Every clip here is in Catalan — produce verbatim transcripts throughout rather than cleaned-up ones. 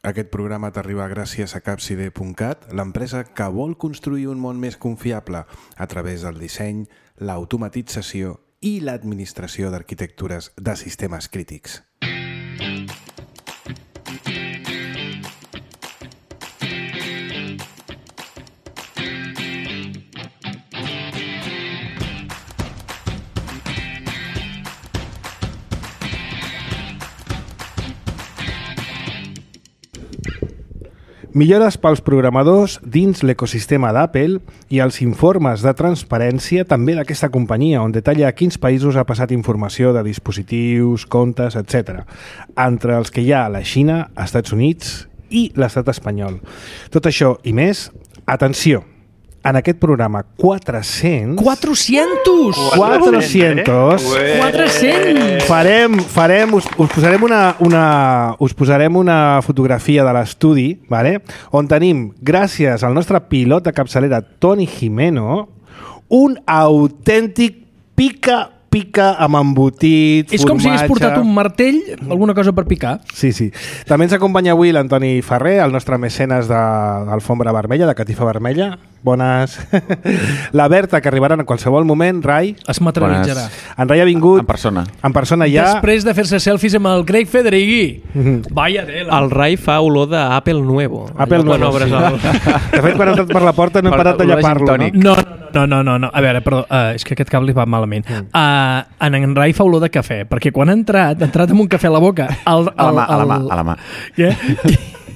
Aquest programa t'arriba gràcies a capside punt cat, l'empresa que vol construir un món més confiable a través del disseny, l'automatització i l'administració d'arquitectures de sistemes crítics. Millores pels programadors dins l'ecosistema d'Apple i els informes de transparència també d'aquesta companyia, on detalla a quins països ha passat informació de dispositius, comptes, etcètera. Entre els que hi ha la Xina, Estats Units i l'estat espanyol. Tot això i més, atenció, en aquest programa quatre-cents... quatre-cents! quatre-cents! quatre-cents! Farem, farem, us, us posarem una, una, us posarem una fotografia de l'estudi, vale? On tenim, gràcies al nostre pilot de capçalera, Toni Jimeno, un autèntic pica pica amb embotit, és formatge... com si hagués portat un martell, alguna cosa per picar. Sí, sí. També ens acompanya avui l'Antoni Ferrer, el nostre mecenes d'Alfombra Vermella, de Catifa Vermella. Bones. La Berta, que arribarà en qualsevol moment. Rai. Es materialitzarà. En Rai ha vingut... En persona. En persona ja. Després de fer-se selfies amb el Craig Federighi. Mm-hmm. Vaya tela. El Rai fa olor d'Apple Nuevo. Apple Nuevo, sí. El... De fet, quan ha entrat per la porta no hem parat de llepar-lo. No, no, no, no, no. A veure, perdó, uh, és que aquest cable va malament. Uh, en en Rai fa olor de cafè, perquè quan ha entrat, ha entrat amb un cafè a la boca. El, el, a la mà, el... a la mà, a la mà. Què?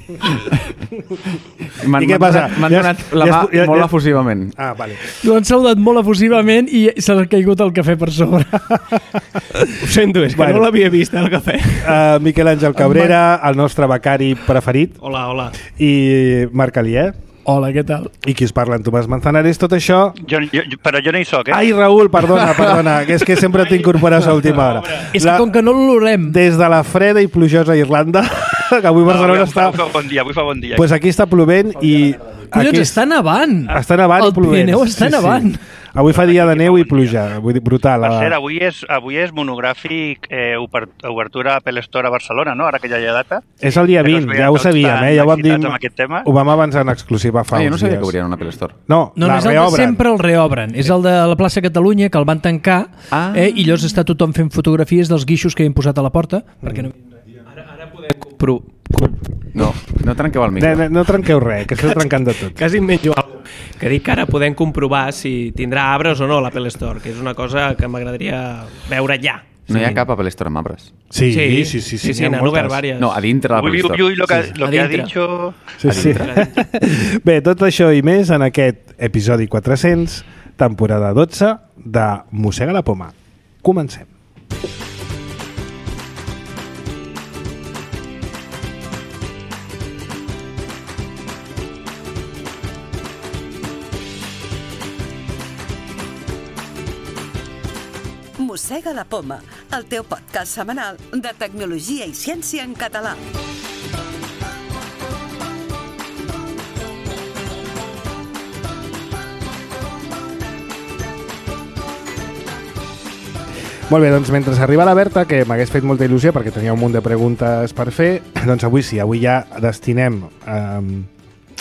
I què passa? M'han donat la mà ja, ja, molt efusivament. Ah, vale. L'han saludat molt efusivament i se l'ha caigut el cafè per sobre. Ho sento, és que bueno, no l'havia vist, el cafè. Uh, Miquel Àngel Cabrera, el nostre becari preferit. Hola, hola. I Marc Alier. Hola, què tal? I qui us parla, en Tomàs Manzanares, tot això... Jo, jo, però jo no hi soc, eh? Ai, Raül, perdona, perdona, que és que sempre t'incorpores a última hora. És que com que no l'olorem... Des de la freda i plujosa Irlanda, que avui Barcelona no, està... Avui fa bon dia, avui fa bon dia. Pues aquí està plovent i... Collons, està nevant! Està nevant i plovent. El Pirineu està nevant. Sí. Avui fa dia de neu i pluja, vull dir, brutal. Per cert, avui és, avui és monogràfic eh, obertura Apple Store a Barcelona, no? Ara que ja hi ha data. És el dia vint, ja ho sabíem, eh? Ja ho vam dir, ho vam avançar en exclusiva fa ah, uns dies. Jo no sabia que obrien un Apple Store. No, no, la no és el reobren. de sempre el reobren. És el de la plaça Catalunya, que el van tancar, ah. eh, i llavors està tothom fent fotografies dels guixos que hi han posat a la porta, mm. perquè no... Ara, ara podem compro... No, no trenqueu el micro. No, no, no trenqueu res, que esteu trencant de tot. Quasi menjo alguna cosa. Que dic que ara podem comprovar si tindrà arbres o no l'Apple Store, que és una cosa que m'agradaria veure ja. No hi ha cap Apple Store amb arbres. Sí, sí, sí. Sí, sí, sí, sí n'han obert vàries. No, a dintre de l'Apple Store. Ui, ui, lo que, sí, lo que ha dicho... Sí, sí. Bé, tot això i més en aquest episodi quatre-cents, temporada dotze de Mossega la Poma. Comencem. Mossega la Poma, el teu podcast setmanal de tecnologia i ciència en català. Molt bé, doncs mentre arriba la Berta, que m'hagués fet molta il·lusió perquè tenia un munt de preguntes per fer, doncs avui sí, avui ja destinem eh,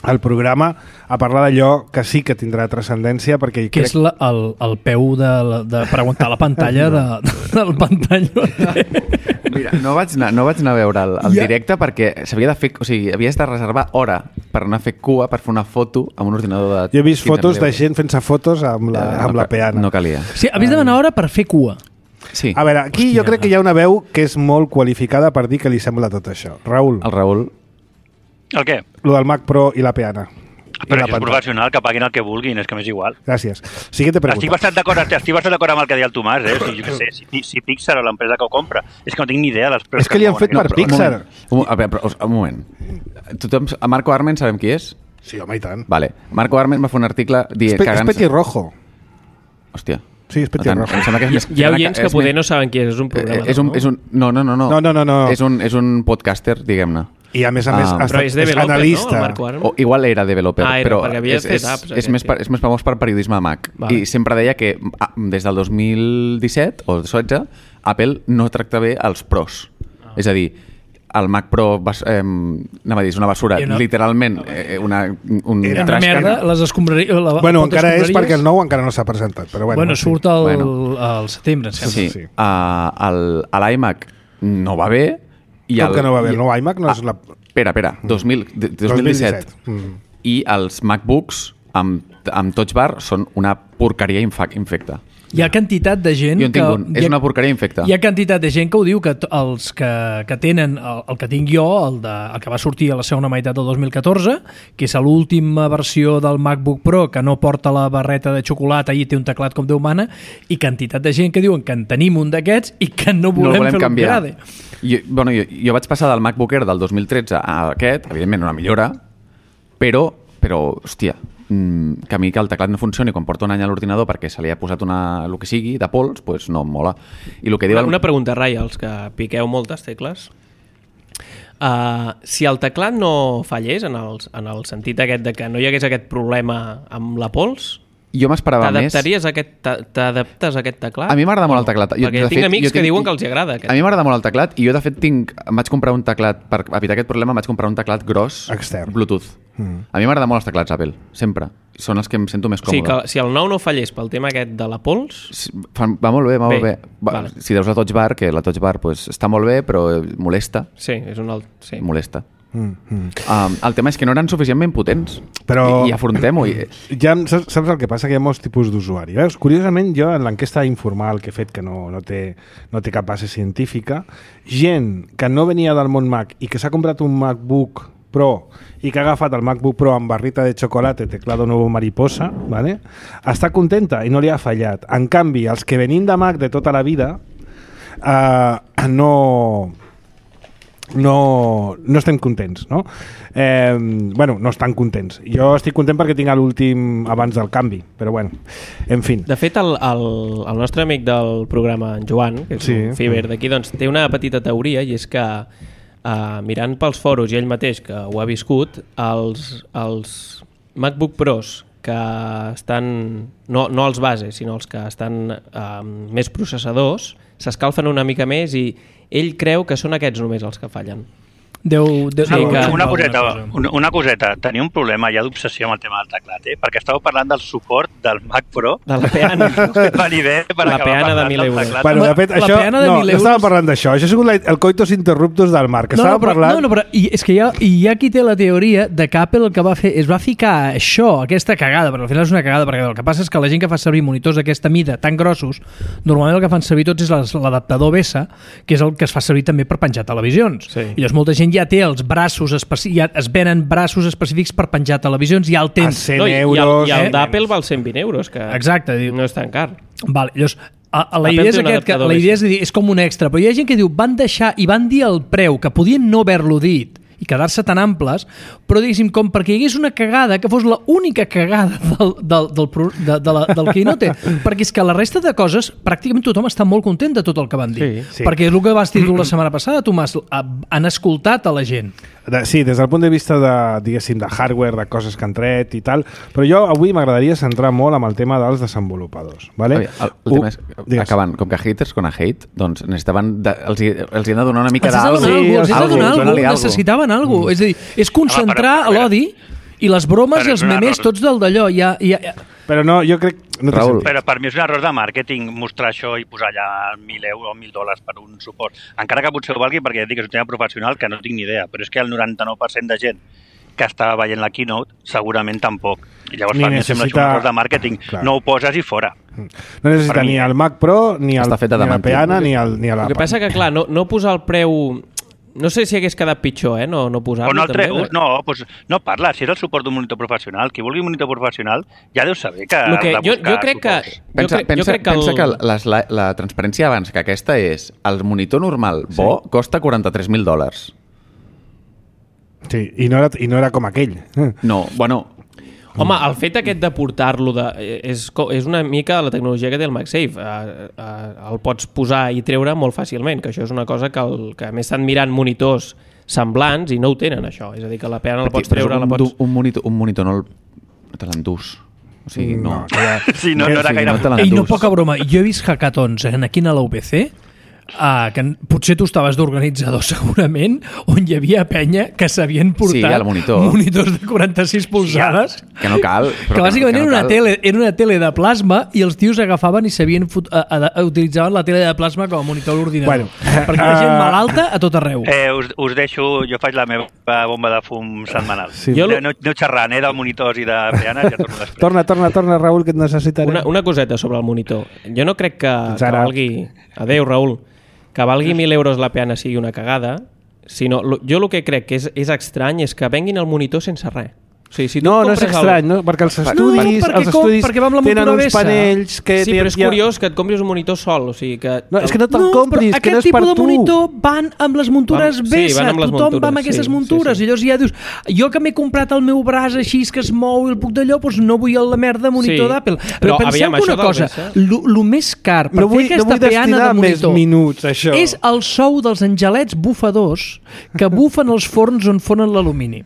el programa a parlar d'allò que sí que tindrà transcendència perquè que crec... és la, el, el peu de, de preguntar la pantalla de, del pantalla. Mira, no vaig anar, no vaig anar a veure el, el ja. directe perquè s'havia de fer, o sigui, havies de reservar hora per anar a fer cua, per fer una foto amb un ordinador de... Jo he vist fotos de gent fent-se fotos amb la, eh, amb no, la peana. No calia. Sí, havies de demanar hora per fer cua. Sí. A veure, aquí Hòstia. jo crec que hi ha una veu que és molt qualificada per dir que li sembla tot això. Raül. El Raül. El què? Lo del Mac Pro i la peana. Però això és professional, que paguin el que vulguin, és que m'és igual. Gràcies. Siguiente pregunta. Estic bastant d'acord, estic bastant d'acord amb el que deia el Tomàs, eh? O sigui, jo què sé, si, si Pixar o l'empresa que ho compra, és que no tinc ni idea dels preus. És que li han fet per Pixar. Un, a veure, però, un moment. Tothom, a Marco Arment sabem qui és? Sí, home, i tant. Vale. Marco Arment va fer un article dient... És, és Petirrojo. Hòstia. Sí, és Petirrojo. Que és més, hi ha oients que, que poder no saben qui és, és un programa. És un, és un, no, no, no, no. No, no, no, no. És un, és un podcaster, diguem-ne. I a més a més ah, ha estat, és, és analista. No, o, igual era developer, ah, era, però és, és, apps, és, més, és més famós per periodisme de Mac. Vale. I sempre deia que des del dos mil disset o setze Apple no tracta bé els pros. Ah. És a dir, el Mac Pro, bas, eh, anava a dir, és una basura, no. literalment, eh, una, un Era una trash can. merda, les escombraries... La, Bueno, encara és perquè el nou encara no s'ha presentat, però bueno. Bueno, sí. surt al, Bueno. al setembre, em sembla. Sí, Sí. uh, el, l'iMac no va bé. I Com el, que no va bé? i- El nou iMac no és la... Espera, espera, dos mil, de- dos mil disset. Mm. I els MacBooks amb, amb Touch Bar són una porqueria infa- infecta. Hi ha quantitat de gent Jo en que... tinc un, és hi ha- una porqueria infecta. Hi ha quantitat de gent que ho diu, que t- els que, que tenen el, el que tinc jo, el, de, el que va sortir a la segona meitat del dos mil catorze, que és l'última versió del MacBook Pro, que no porta la barreta de xocolata i té un teclat com Déu mana, i quantitat de gent que diuen que en tenim un d'aquests i que no volem, no el volem fer canviar. l'upgrade. Jo, bueno, jo, jo vaig passar del MacBook Air del dos mil tretze a aquest, evidentment una millora, però, però hòstia, mm, que a mi que el teclat no funcioni quan porta un any a l'ordinador perquè se li ha posat una, el que sigui, de pols, pues no em mola. I el que diu Una, el... una pregunta, Rai, als que piqueu moltes tecles. Uh, si el teclat no fallés, en el, en el sentit aquest de que no hi hagués aquest problema amb la pols, Jo m'esperava més... t'adaptaries a aquest, t'a- t'adaptes a aquest teclat? A mi m'agrada molt el O no? teclat. Jo, Perquè de tinc fet, amics jo que tinc- diuen que els hi agrada aquest. A mi m'agrada molt el teclat i jo, de fet, tinc... em vaig comprar un teclat, per evitar aquest problema, em vaig comprar un teclat gros, Extern. Bluetooth. Mm. A mi m'agraden molt els teclats Apple, sempre. Són els que em sento més O sigui, còmode. que si el nou no fallés pel tema aquest de la pols, Sí, fa- Va molt bé, va Bé, molt bé. Va, vale. Si deus la Touch Bar, que la Touch Bar pues, està molt bé, però molesta. sí, és un alt... Sí. Molesta. Mm, mm. Um, el tema és que no eren suficientment potents. Però- I, i afrontem-ho. I... Ja saps, saps el que passa? Que hi ha molts tipus d'usuari. Veus? Curiosament, jo en l'enquesta informal que he fet, que no, no, té, no té cap base científica, gent que no venia del món Mac i que s'ha comprat un MacBook Pro i que ha agafat el MacBook Pro amb barrita de xocolata, teclado nuevo mariposa, ¿vale? Està contenta i no li ha fallat. En canvi, els que venim de Mac de tota la vida eh, no... no, no estem contents, no? Eh, bueno, no estan contents. Jo estic content perquè tinc l'últim abans del canvi, però bueno, en fi. De fet, el, el, el nostre amic del programa, en Joan, que és Sí. un Fiber d'aquí, doncs té una petita teoria, i és que uh, mirant pels foros i ell mateix, que ho ha viscut, els, els MacBook Pros que estan, no, no els bases, sinó els que estan uh, més processadors, s'escalfen una mica més i ell creu que són aquests només els que fallen. Deu, deu, Sí, deu que- haver Una alguna coseta, cosa. una, una coseta. Tenia un problema ja d'obsessió amb el tema del teclat, eh? Perquè estàveu parlant del suport del Mac Pro. De la peana. Va ni bé per La acabar peana de parlant mil del euros. teclat. Bueno, de fet, La això, peana de no, mil no euros- estava parlant d'això. Això ha sigut la, el coitus interruptus del Marc, que No, estava no, però, parlant... no, no, però i és que hi ha, hi ha qui té la teoria de que Apple el que va fer és va ficar això, aquesta cagada, però al final és una cagada, perquè el que passa és que la gent que fa servir monitors d'aquesta mida tan grossos, normalment el que fan servir tots és les- l'adaptador B S A, que és el que es fa servir també per penjar televisions. Sí. I llavors molta gent ja té els braços, especi... ja es venen braços específics per penjar televisions, ja el A tens. cent No, i, i el, euros... i el eh? d'Apple val cent vint euros, que Exacte, diu. no és tan car. Vale, llavors, a, a la Apple idea és té un aquest, que, adaptador la B S A. idea és, dir, és com un extra, però hi ha gent que diu van deixar i van dir el preu, que podien no haver-lo dit i quedar-se tan amples, però diguéssim, com perquè hi hagués una cagada que fos la única cagada del, del, del, pro- de, de la, del Keynote, perquè és que la resta de coses, pràcticament tothom està molt content de tot el que van dir. Sí, sí. Perquè és el que vas dir tu la setmana passada, Tomàs, han escoltat a la gent. De, sí, des del punt de vista de, diguéssim, de hardware, de coses que han tret i tal, però jo avui m'agradaria centrar molt amb el tema dels desenvolupadors. Vale? El, el tema és, digues. acabant, com que haters con a hate, doncs necessitaven de, els, hi, els hi han de donar una mica Els has de d'algo. donar alguna cosa, els has de Algo, donar alguna dona-li cosa, algo. necessitaven alguna cosa. És a dir, és concentrar Home, però- l'odi i les bromes Però i els és una memes error. tots del d'allò. Ja, ja, ja. Però no, jo crec... No té Raül. sentit. Però per mi és un error de màrqueting mostrar això i posar allà mil euros o mil dòlars per un suport. Encara que potser ho valgui perquè ja et dic que és un tema professional que no tinc ni idea, però és que el noranta-nou per cent de gent que estava veient la keynote segurament tampoc. I llavors Ni per mi sembla necessita- un error de màrqueting. Clar. No ho poses i fora. No necessita Per mi, ni eh? el Mac Pro, ni, el, Està feta ni de la mentir. peana, ni, el, ni El l'Apple. que passa que, clar, no, no posar el preu... No sé si hagués quedat pitjor, eh? No, no posar-lo. O no el també, treus, eh? no, doncs no parla. Si és el suport d'un monitor professional, qui vulgui un monitor professional ja deu saber que Lo que ha de jo, buscar jo crec que... suports. Jo Pensa, crec, pensa, jo crec que el... pensa que les, la, la transparència abans que aquesta és el monitor normal bo sí. costa quaranta-tres mil dòlars. Sí, i no, era, i no era com aquell. No, bueno, Home, el fet aquest de portar-lo de, és, co- és una mica la tecnologia que té el MagSafe. Uh, uh, el pots posar i treure molt fàcilment, que això és una cosa que, el, que a més estan mirant monitors semblants i no ho tenen, això. És a dir, que la peana la pots però treure, un, la pots... un, monitor, un monitor no, el, no te l'endús. O sigui, no. que ja- Sí, no, no era Sí, gaire... no te Ei, no l'endús. poca broma, jo he vist hackathons en aquí a la U P C uh, que potser tu estaves d'organitzador segurament, on hi havia penya que s'havien portat Sí, al monitor. monitors de quaranta-sis polzades, Que no cal. que bàsicament que no era, una cal. tele, era una tele de plasma i els tios agafaven i sabien fot, a, a, a, utilitzaven la tele de plasma com a monitor a l'ordinador. Bueno, perquè hi ha gent uh, malalta a tot arreu. Eh, us, us deixo, jo faig la meva bomba de fum setmanal. Sí. Jo... No, no xerrant, eh, de monitors i de peanes, ja torno després. Torna, torna, torna, Raül, que et necessitarem. Una, una coseta sobre el monitor. Jo no crec que, que ara. valgui... Adéu, Raül. Que valgui mil euros la peana sigui una cagada, sinó, lo- jo el que crec que és, és estrany és que venguin el monitor sense res. O sigui, si tu No, no és compres estrany, el... no? Perquè els No, estudis, perquè els com- estudis perquè va amb la tenen muntura uns Bessa. panells que... Sí, té- però és hi ha- curiós que et compris un monitor sol, o sigui que... No, és que no te'l No, compris, però que no és aquest per tipus de tu. monitor van amb les muntures Van- sí, Bessa, van amb les tothom va amb muntures, aquestes sí, muntures, sí, sí. i llavors ja dius, jo que m'he comprat el meu braç així que es mou i el puc d'allò, doncs no vull la merda monitor Sí, d'Apple. però Però penseu aviam, que això una del cosa, Bessa- el més car per No vull, fer no vull aquesta peana destinar de més monitor minuts a això. és el sou dels angelets bufadors que bufen els forns on fonen l'alumini.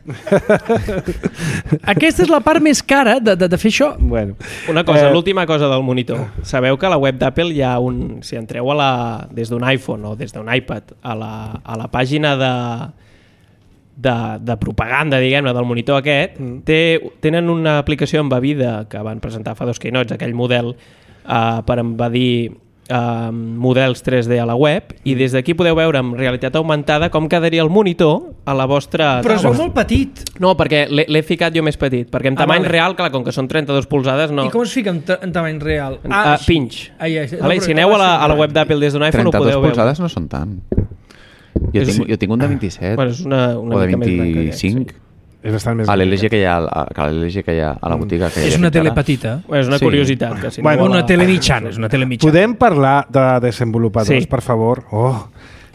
Aquesta és la part més cara de, de, de fer això. Bueno. Una cosa, Eh, l'última cosa del monitor. Sabeu que a la web d'Apple hi ha un... Si entreu a la, des d'un iPhone o des d'un iPad a la, a la pàgina de, de, de propaganda, diguem-ne, del monitor aquest, mm. té, tenen una aplicació embebida que van presentar fa dos keynotes, aquell model uh, per embedir uh, models tres D a la web, i des d'aquí podeu veure amb realitat augmentada com quedaria el monitor a la vostra... Però es veu taula. molt petit. No, perquè l'he l'he ficat jo més petit, perquè en Ah, tamany vale. real, clar, com que són trenta-dues polzades, no... I com es fica en, ta- en tamany real? En- ah, pinch. Ai, ai, no, Vale, però si aneu a la, a la sí. web d'Apple des d'un iPhone ho trenta-dos podeu veure. polzades no són tant. Jo És- tinc, jo tinc un de vint-i-set Bueno, és una, una o de mica més gran que aquest, vint-i-cinc. sí. És bastant més... A l'L G que hi ha, a, que a l'L G que hi ha a la botiga. Que hi És ha una fins tele ara. petita. Bueno, és una Sí. curiositat. Que si Bueno, no Una la- tele mitjana, és una tele mitjana. Podem parlar de desenvolupadors, Sí. per favor? Oh,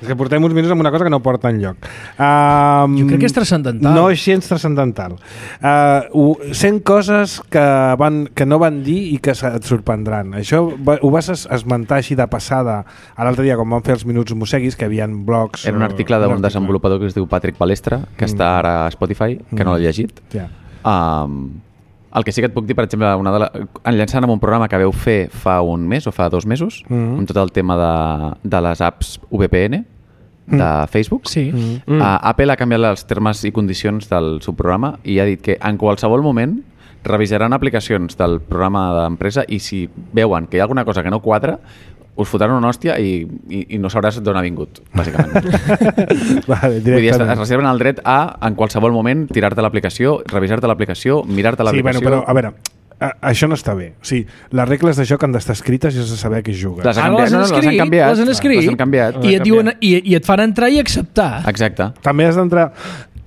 és que portem uns minuts amb una cosa que no porta enlloc. Um, Jo crec que és transcendental. No és gens transcendental. Uh, sent coses que, van, que no van dir i que se- et sorprendran. Això va, ho vas es- esmentar així de passada a l'altre dia, quan vam fer els Minuts Museguis, que hi havia blogs... Era un article d'un desenvolupador que es diu Patrick Palestra, que Mm. està ara a Spotify, que no l'he llegit. Ja. Um, el que sí que et puc dir, per exemple, una de la, enllaçant amb un programa que veu fer fa un mes o fa dos mesos, Mhm. amb tot el tema de, de les apps V P N de Mm. Facebook, Sí. Mm. uh, Apple ha canviat els termes i condicions del seu programa i ha dit que en qualsevol moment revisaran aplicacions del programa d'empresa i si veuen que hi ha alguna cosa que no quadra, us fotran una hòstia i, i, i no sabràs d'on ha vingut, bàsicament. Vale, Vull dir, es, es directament. reserven el dret a, en qualsevol moment, tirar-te l'aplicació, revisar-te l'aplicació, mirar-te Sí, bueno, l'aplicació... però, a veure, a, això no està bé. O sigui, les regles de joc han d'estar escrites i has de saber a què jugues. Les han Ara canviat, les no, han no, les han escrit, canviat. les han escrit, Les han canviat. i, et diuen, i, i et fan entrar i acceptar. Exacte. També has d'entrar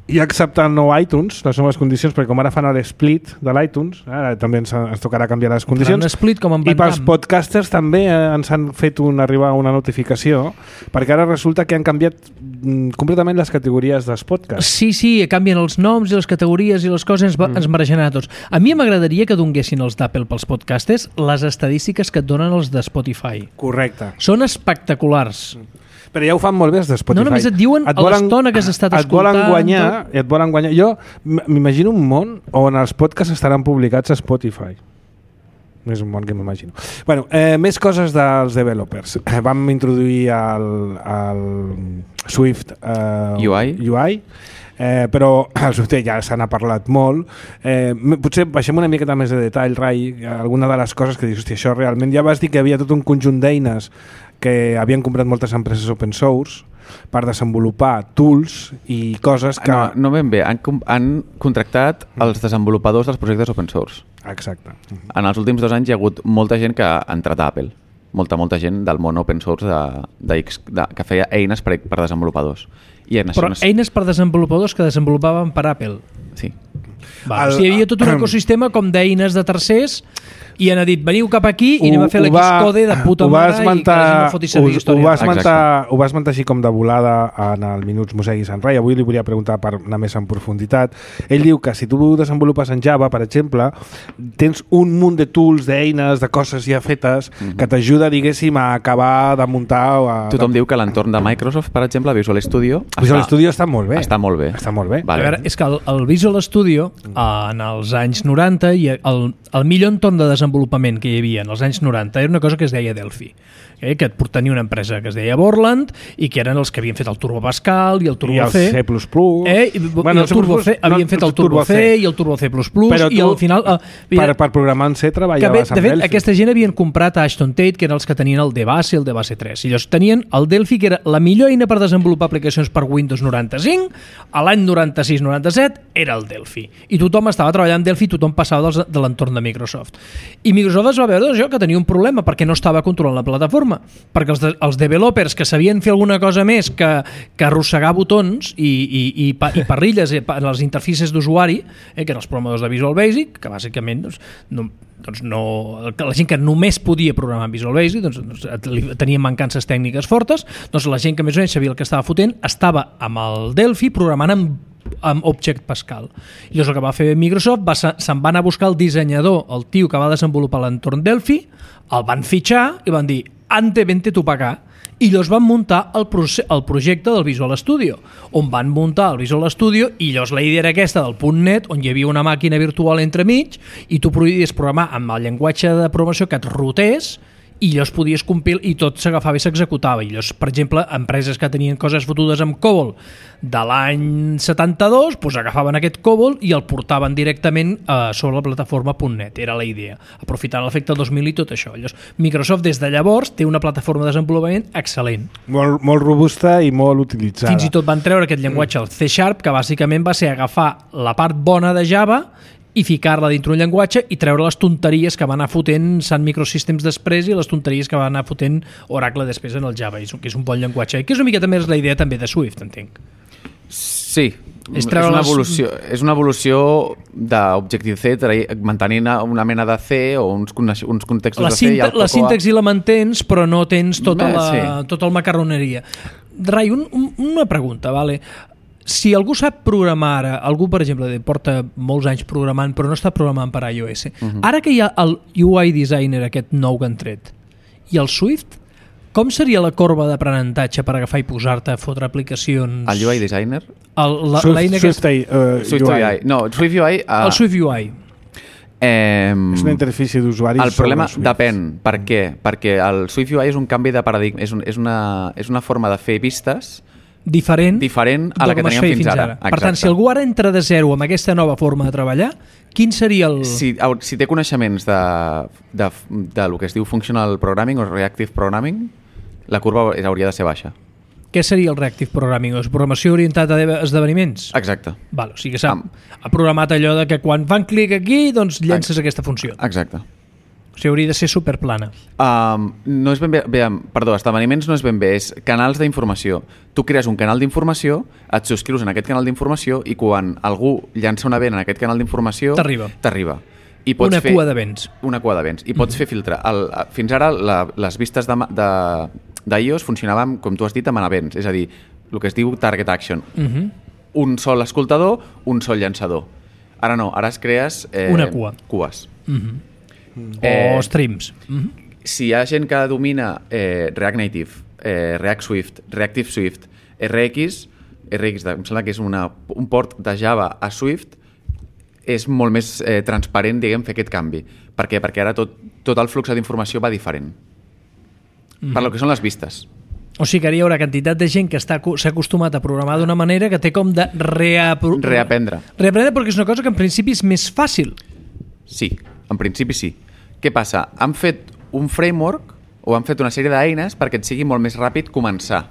i acceptar el nou iTunes, les noves condicions, perquè com ara fan l'split de l'iTunes, ara també ens, ens tocarà canviar les condicions. Faran split com en I Van pels Damme. podcasters també eh, ens han fet un, arribar una notificació, perquè ara resulta que han canviat mm, completament les categories dels podcasts. Sí, sí, canvien els noms i les categories i les coses, ens, mm. ens mereixen a tots. A mi m'agradaria que donguessin els d'Apple pels podcasters les estadístiques que et donen els de Spotify. Correcte. Són espectaculars. Però ja ho fan molt bé els de Spotify. No, només et diuen a l'estona que has estat et volen escoltant, guanyar, et volen guanyar. Jo m- m'imagino un món on els podcasts estaran publicats a Spotify. És un món que m'imagino. Bueno, eh, més coses dels developers. Eh, vam introduir el, el Swift eh, U I. U I eh, però el Swift ja se n'ha parlat molt. Eh, m- potser baixem una miqueta més de detall, Rai, alguna de les coses que dius, hòstia, això realment... Ja vas dir que havia tot un conjunt d'eines que havien comprat moltes empreses open source per desenvolupar tools i coses que... No, no ben bé. Han, com- han contractat els desenvolupadors dels projectes open source. Exacte. En els últims dos anys hi ha hagut molta gent que ha entrat a Apple. Molta, molta gent del món open source de, de, X- de, que feia eines per, per desenvolupadors. I en Però això, eines per desenvolupadors que desenvolupaven per Apple. Sí. Va, El- o sigui, hi havia tot un ecosistema com d'eines de tercers i han dit, veniu cap aquí i anem a fer Ho- ho va- l'Xcode de puta ho va mare i que la gent esmentar- no foti servir ho- història. Ho va, esmentar, Exacte. ho va esmentar així com de volada en el Minuts Museguis en Rai. Avui li volia preguntar per anar més en profunditat. Ell diu que si tu desenvolupes en Java, per exemple, tens un munt de tools, d'eines, de coses ja fetes Mhm. que t'ajuda, diguéssim, a acabar de muntar... O a, Tothom diu que l'entorn de Microsoft, per exemple, Visual Studio, Visual Studio està molt bé. està molt bé. Està molt bé. A veure, és que el, el Visual Studio Studio en els anys noranta i el, el millor entorn de desenvolupament que hi havia en els anys noranta era una cosa que es deia Delphi, eh, que tenia una empresa que es deia Borland i que eren els que havien fet el Turbo Pascal i el Turbo I el C. C plus plus. Eh, i, bueno, i el Turbo C, no, havien fet el Turbo C i el Turbo C plus plus. Però tu, i al final, eh, per, per programar en C treballaves bé, de amb fet, Delphi. aquesta gent havien comprat a Ashton Tate, que eren els que tenien el D-Base i el D-Base tres. I llavors tenien el Delphi, que era la millor eina per desenvolupar aplicacions per Windows noranta-cinc. A l'any noranta-sis noranta-set era el Delphi. I tothom estava treballant en Delphi, tothom passava dels, de l'entorn de Microsoft. I Microsoft es va veure doncs, que tenia un problema perquè no estava controlant la plataforma. Perquè els, de, els developers que sabien fer alguna cosa més que, que arrossegar botons i, i, i, pa, i parrilles en les interfícies d'usuari, eh, que eren els programadors de Visual Basic, que bàsicament doncs, no, doncs no, la gent que només podia programar en Visual Basic doncs, doncs, tenia mancances tècniques fortes, doncs la gent que més o menys sabia el que estava fotent estava amb el Delphi programant amb amb Object Pascal. I llavors el que va fer Microsoft va, se'n va anar a buscar el dissenyador, el tio que va desenvolupar l'entorn Delphi, el van fitxar i van dir ante vente tu pa acá. I llavors van muntar el, el projecte del Visual Studio, on van muntar el Visual Studio i llavors la idea era aquesta del .NET, on hi havia una màquina virtual entremig i tu podies programar amb el llenguatge de programació que et rotés i llavors podies compilar i tot s'agafava i s'executava. I llavors, per exemple, empreses que tenien coses fotudes amb COBOL de l'any setanta-dos, doncs agafaven aquest COBOL i el portaven directament eh, sobre la plataforma .NET. Era la idea, aprofitant l'efecte dos mil i tot això. Llavors, Microsoft des de llavors té una plataforma de desenvolupament excel·lent. Molt, molt robusta i molt utilitzada. Fins i tot van treure aquest llenguatge, el C Sharp, que bàsicament va ser agafar la part bona de Java i ficar-la dintre un llenguatge i treure les tonteries que va anar fotent Sun Microsystems després i les tonteries que va anar fotent Oracle després en el Java, que és un bon llenguatge. I que és una mica també és la idea també de Swift, entenc. Sí, és, és, una evolució, és una evolució d'Objective-C mantenint una mena de C o uns, uns contextos la de C. I la síntesi la mantens, però no tens tota, la, sí. tota el macarroneria. Rai, un, un, una pregunta, vale? Si algú sap programar ara, algú, per exemple, porta molts anys programant però no està programant per iOS, uh-huh. Ara que hi ha el U I Designer aquest nou que han tret i el Swift, com seria la corba d'aprenentatge per agafar i posar-te a fotre aplicacions? El U I Designer? El, la, Swift, Swift, que... uh, Swift U I. No, Swift U I... Uh... El Swift U I. Eh, és una interfície d'usuari. El problema depèn. Per què? Perquè el Swift U I és un canvi de paradigma, és, un, és, una, és una forma de fer vistes diferent, diferent a la que teníem fins, fins ara. ara. Per tant, si algú ara entra de zero amb aquesta nova forma de treballar, quin seria el... Si, si té coneixements de, de, de lo que es diu Functional Programming o Reactive Programming, la curva hauria de ser baixa. Què seria el Reactive Programming? És programació orientada a esdeveniments? Exacte. Val, o sigui que s'ha ha programat allò de que quan fan clic aquí, doncs llences Ex aquesta funció. Exacte. O sigui, hauria de ser superplana. Um, no és ben bé, bé, perdó, esdeveniments no és ben bé, és canals d'informació. Tu crees un canal d'informació, et subscrius en aquest canal d'informació i quan algú llança un event en aquest canal d'informació... T'arriba. T'arriba. I pots una fer, cua d'events. Una cua d'events. I pots mm-hmm. fer filtre. El, fins ara la, les vistes de, de, d'iOS funcionaven, com tu has dit, amb events. És a dir, el que es diu target action. Mm-hmm. Un sol escoltador, un sol llançador. Ara no, ara es crees... Eh, una cua. Cues. Mm-hmm. Eh, o streams. Mm-hmm. Si hi ha gent que domina eh, React Native, eh, React Swift, Reactive Swift, R X, R X em sembla que és una, un port de Java a Swift, és molt més eh, transparent, diguem, fer aquest canvi. Per què? Perquè ara tot, tot el flux d'informació va diferent. Mm-hmm. Per lo que són les vistes. O sigui que hi haurà quantitat de gent que s'ha acostumat a programar d'una manera que té com de reapro... reaprendre. Reaprendre perquè és una cosa que en principi és més fàcil. Sí, en principi sí. Què passa? Han fet un framework o han fet una sèrie d'eines perquè et sigui molt més ràpid començar.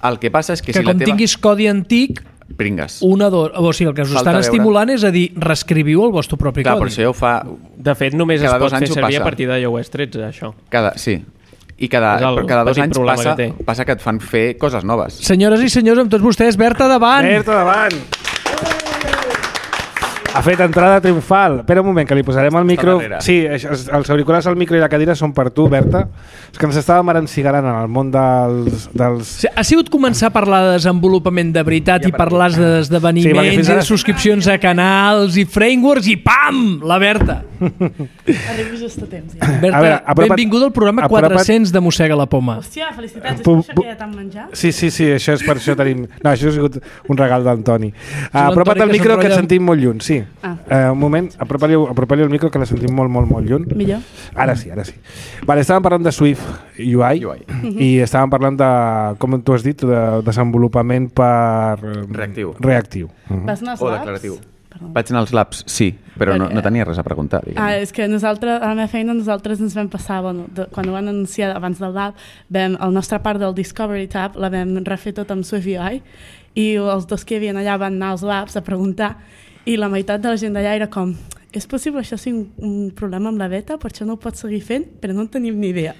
El que passa és que, que si com la teva... tinguis codi antic, pringues. Una do... o sigui, el que us Falta estan veure. estimulant és a dir, reescriviu el vostre propi Clar, codi. però això ja ho fa... De fet, només cada es pot fer servir passa. a partir d'iOS tretze, això. Cada... Sí. I cada, cada dos anys passa que, passa que et fan fer coses noves. Senyores i senyors, amb tots vostès, Berta davant! Berta davant! Ha fet entrada triomfal. Espera un moment, que li posarem el micro... Sí, els, els auriculars, el micro i la cadira són per tu, Berta. És que ens estàvem arancigarant en el món dels... dels... Sí, ha sigut començar a parlar de desenvolupament de veritat ja, i parlar d'esdeveniments, sí, ara... i subscripcions a canals i frameworks i pam! La Berta. Arribo just a temps, ja. Berta, a veure, apropa't, benvinguda al programa apropa't... quatre-cents de Mossega la Poma. Hòstia, felicitats, és per això que ja t'han menjat? Sí, sí, sí, això és per això tenim... No, això ha sigut un regal d'Antoni. Uh, apropa't al micro que et sentim molt lluny, sí. Ah. Uh, un moment, apropa-li apropa el micro que la sentim molt, molt, molt lluny. Millor? Ara sí, ara sí. Vale, estàvem parlant de Swift U I, U I. i estàvem parlant de, com tu has dit, de desenvolupament per... Reactiu. Reactiu. Uh -huh. Vas anar als O labs? declaratiu. Perdó. Vaig anar als labs, sí, però no, no tenia res a preguntar. Diguem. Ah, és que nosaltres, a la meva feina, nosaltres ens vam passar, bueno, de, quan ho van anunciar abans del lab, vam, el nostre part del Discovery Tab la vam refer tot amb Swift U I i els dos que hi havien allà van anar als labs a preguntar i la meitat de la gent d'allà era com és possible això sigui un, un problema amb la beta, per això no ho pots seguir fent, però no en tenim ni idea.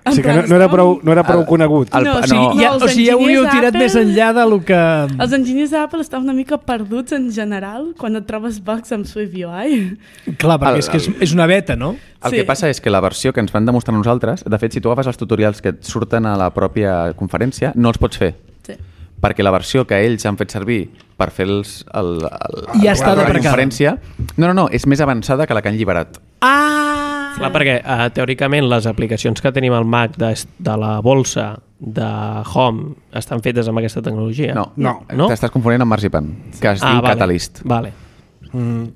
O sigui que no, no era prou, no era prou El- conegut. el- No, no. o sigui, Ja, els o sigui, ja ho heu enginyers tirat d'Apple- més enllà de lo que... Els enginyers d'Apple estan una mica perduts en general quan et trobes bugs amb Swift U I. Clar, perquè El- és que és, el- és una beta, no? El Sí. que passa és que la versió que ens van demostrar nosaltres, de fet, si tu agafes els tutorials que et surten a la pròpia conferència, no els pots fer. Sí. Perquè la versió que ells han fet servir per fer els, el, el, Ja està la deprecada. conferència, no, no, no, és més avançada que la que han lliberat. Ah! Clar, perquè uh, teòricament les aplicacions que tenim al Mac de, de la bolsa de Home estan fetes amb aquesta tecnologia. No, No. No? t'estàs confonent amb Marzipan, que es ah, diu vale. Catalyst. Vale. Mm.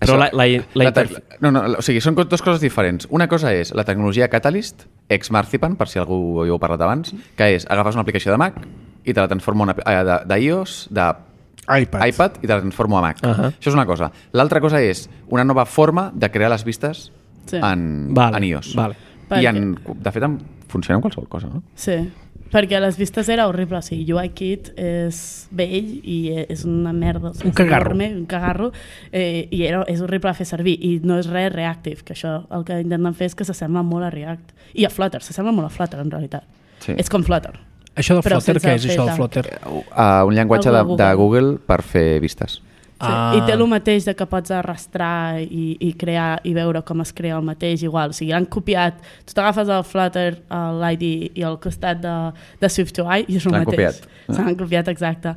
Però la, la, la, La te- interf- no, no, o sigui, són co- dues coses diferents. Una cosa és la tecnologia Catalyst, ex Marzipan, per si algú hi heu parlat abans, que és agafes una aplicació de Mac i te la transforma una, eh, de- d'iOS, de iPad. iPad i te la transformo a Mac. Ahà. Això és una cosa. L'altra cosa és una nova forma de crear les vistes Sí. en, Vale, en iOS. vale. I en, de fet en, funciona amb qualsevol cosa, no? Sí, perquè les vistes era horrible, o sigui, UIKit és vell i és una merda, és Un cagarro. enorme, un cagarro, eh, i era, és horrible de fer servir, i no és res reactive, que això el que intenten fer és que s'assembla molt a React, i a Flutter, s'assembla molt a Flutter en realitat, Sí. és com Flutter. Això del Però Flutter, sense què és el això del feta. Flutter? Uh, un llenguatge de, El de de Google. Google per fer vistes. Sí, Ah. I té el mateix de que pots arrastrar i, i crear i veure com es crea el mateix igual. O sigui, han copiat, tu t'agafes el Flutter, l'I D i al costat de, de Swift U I i és el L'han mateix. copiat. Se l'han copiat, exacte.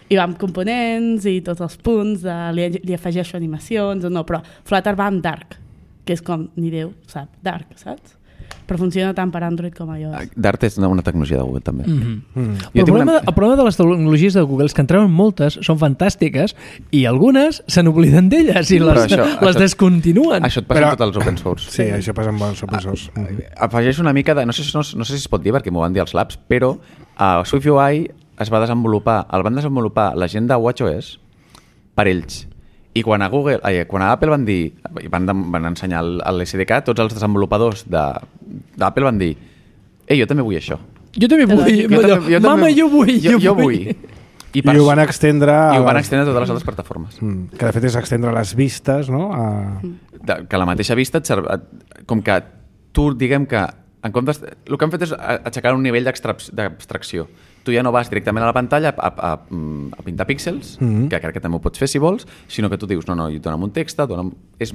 I va amb components i tots els punts, de, li, li afegeixo animacions o no, però Flutter va amb Dark, que és com, ni Déu sap, Dark, saps? Però funciona tant per Android com iOS. Dart és una, una tecnologia de Google, també. Mm -hmm. Mm. Però el, tinc problema, una- el problema de les tecnologies de Google és que en treuen moltes, són fantàstiques, i algunes se n'obliden d'elles i Però les, això- les això- descontinuen. Això et passa Però- amb tots els open source. Sí, això passa amb bons open source. Mm. Afegeix una mica de... No sé, si- no, no sé si es pot dir perquè m'ho van dir als labs, però a Swift U I es va desenvolupar, el van desenvolupar la gent de WatchOS per ells. I quan a Google, ai, quan a Apple van dir, van, van ensenyar l'S D K, tots els desenvolupadors de- d'Apple van dir ei, jo també vull això. Jo també vull. Jo Jo també- jo Mama, també- jo vull. Jo, jo vull. I, I ho van extendre... I ho a van les- extendre a totes les altres plataformes. Mm. Que de fet és extendre les vistes, no? A... De, que la mateixa vista et serv... et- com que tu, diguem que en comptes, el que han fet és a- aixecar un nivell d'extrac- d'abstracció. Tu ja no vas directament a la pantalla a, a, a, a pintar píxels, Mhm. que crec que també ho pots fer si vols, sinó que tu dius, no, no, dona'm un text, dona'm... És,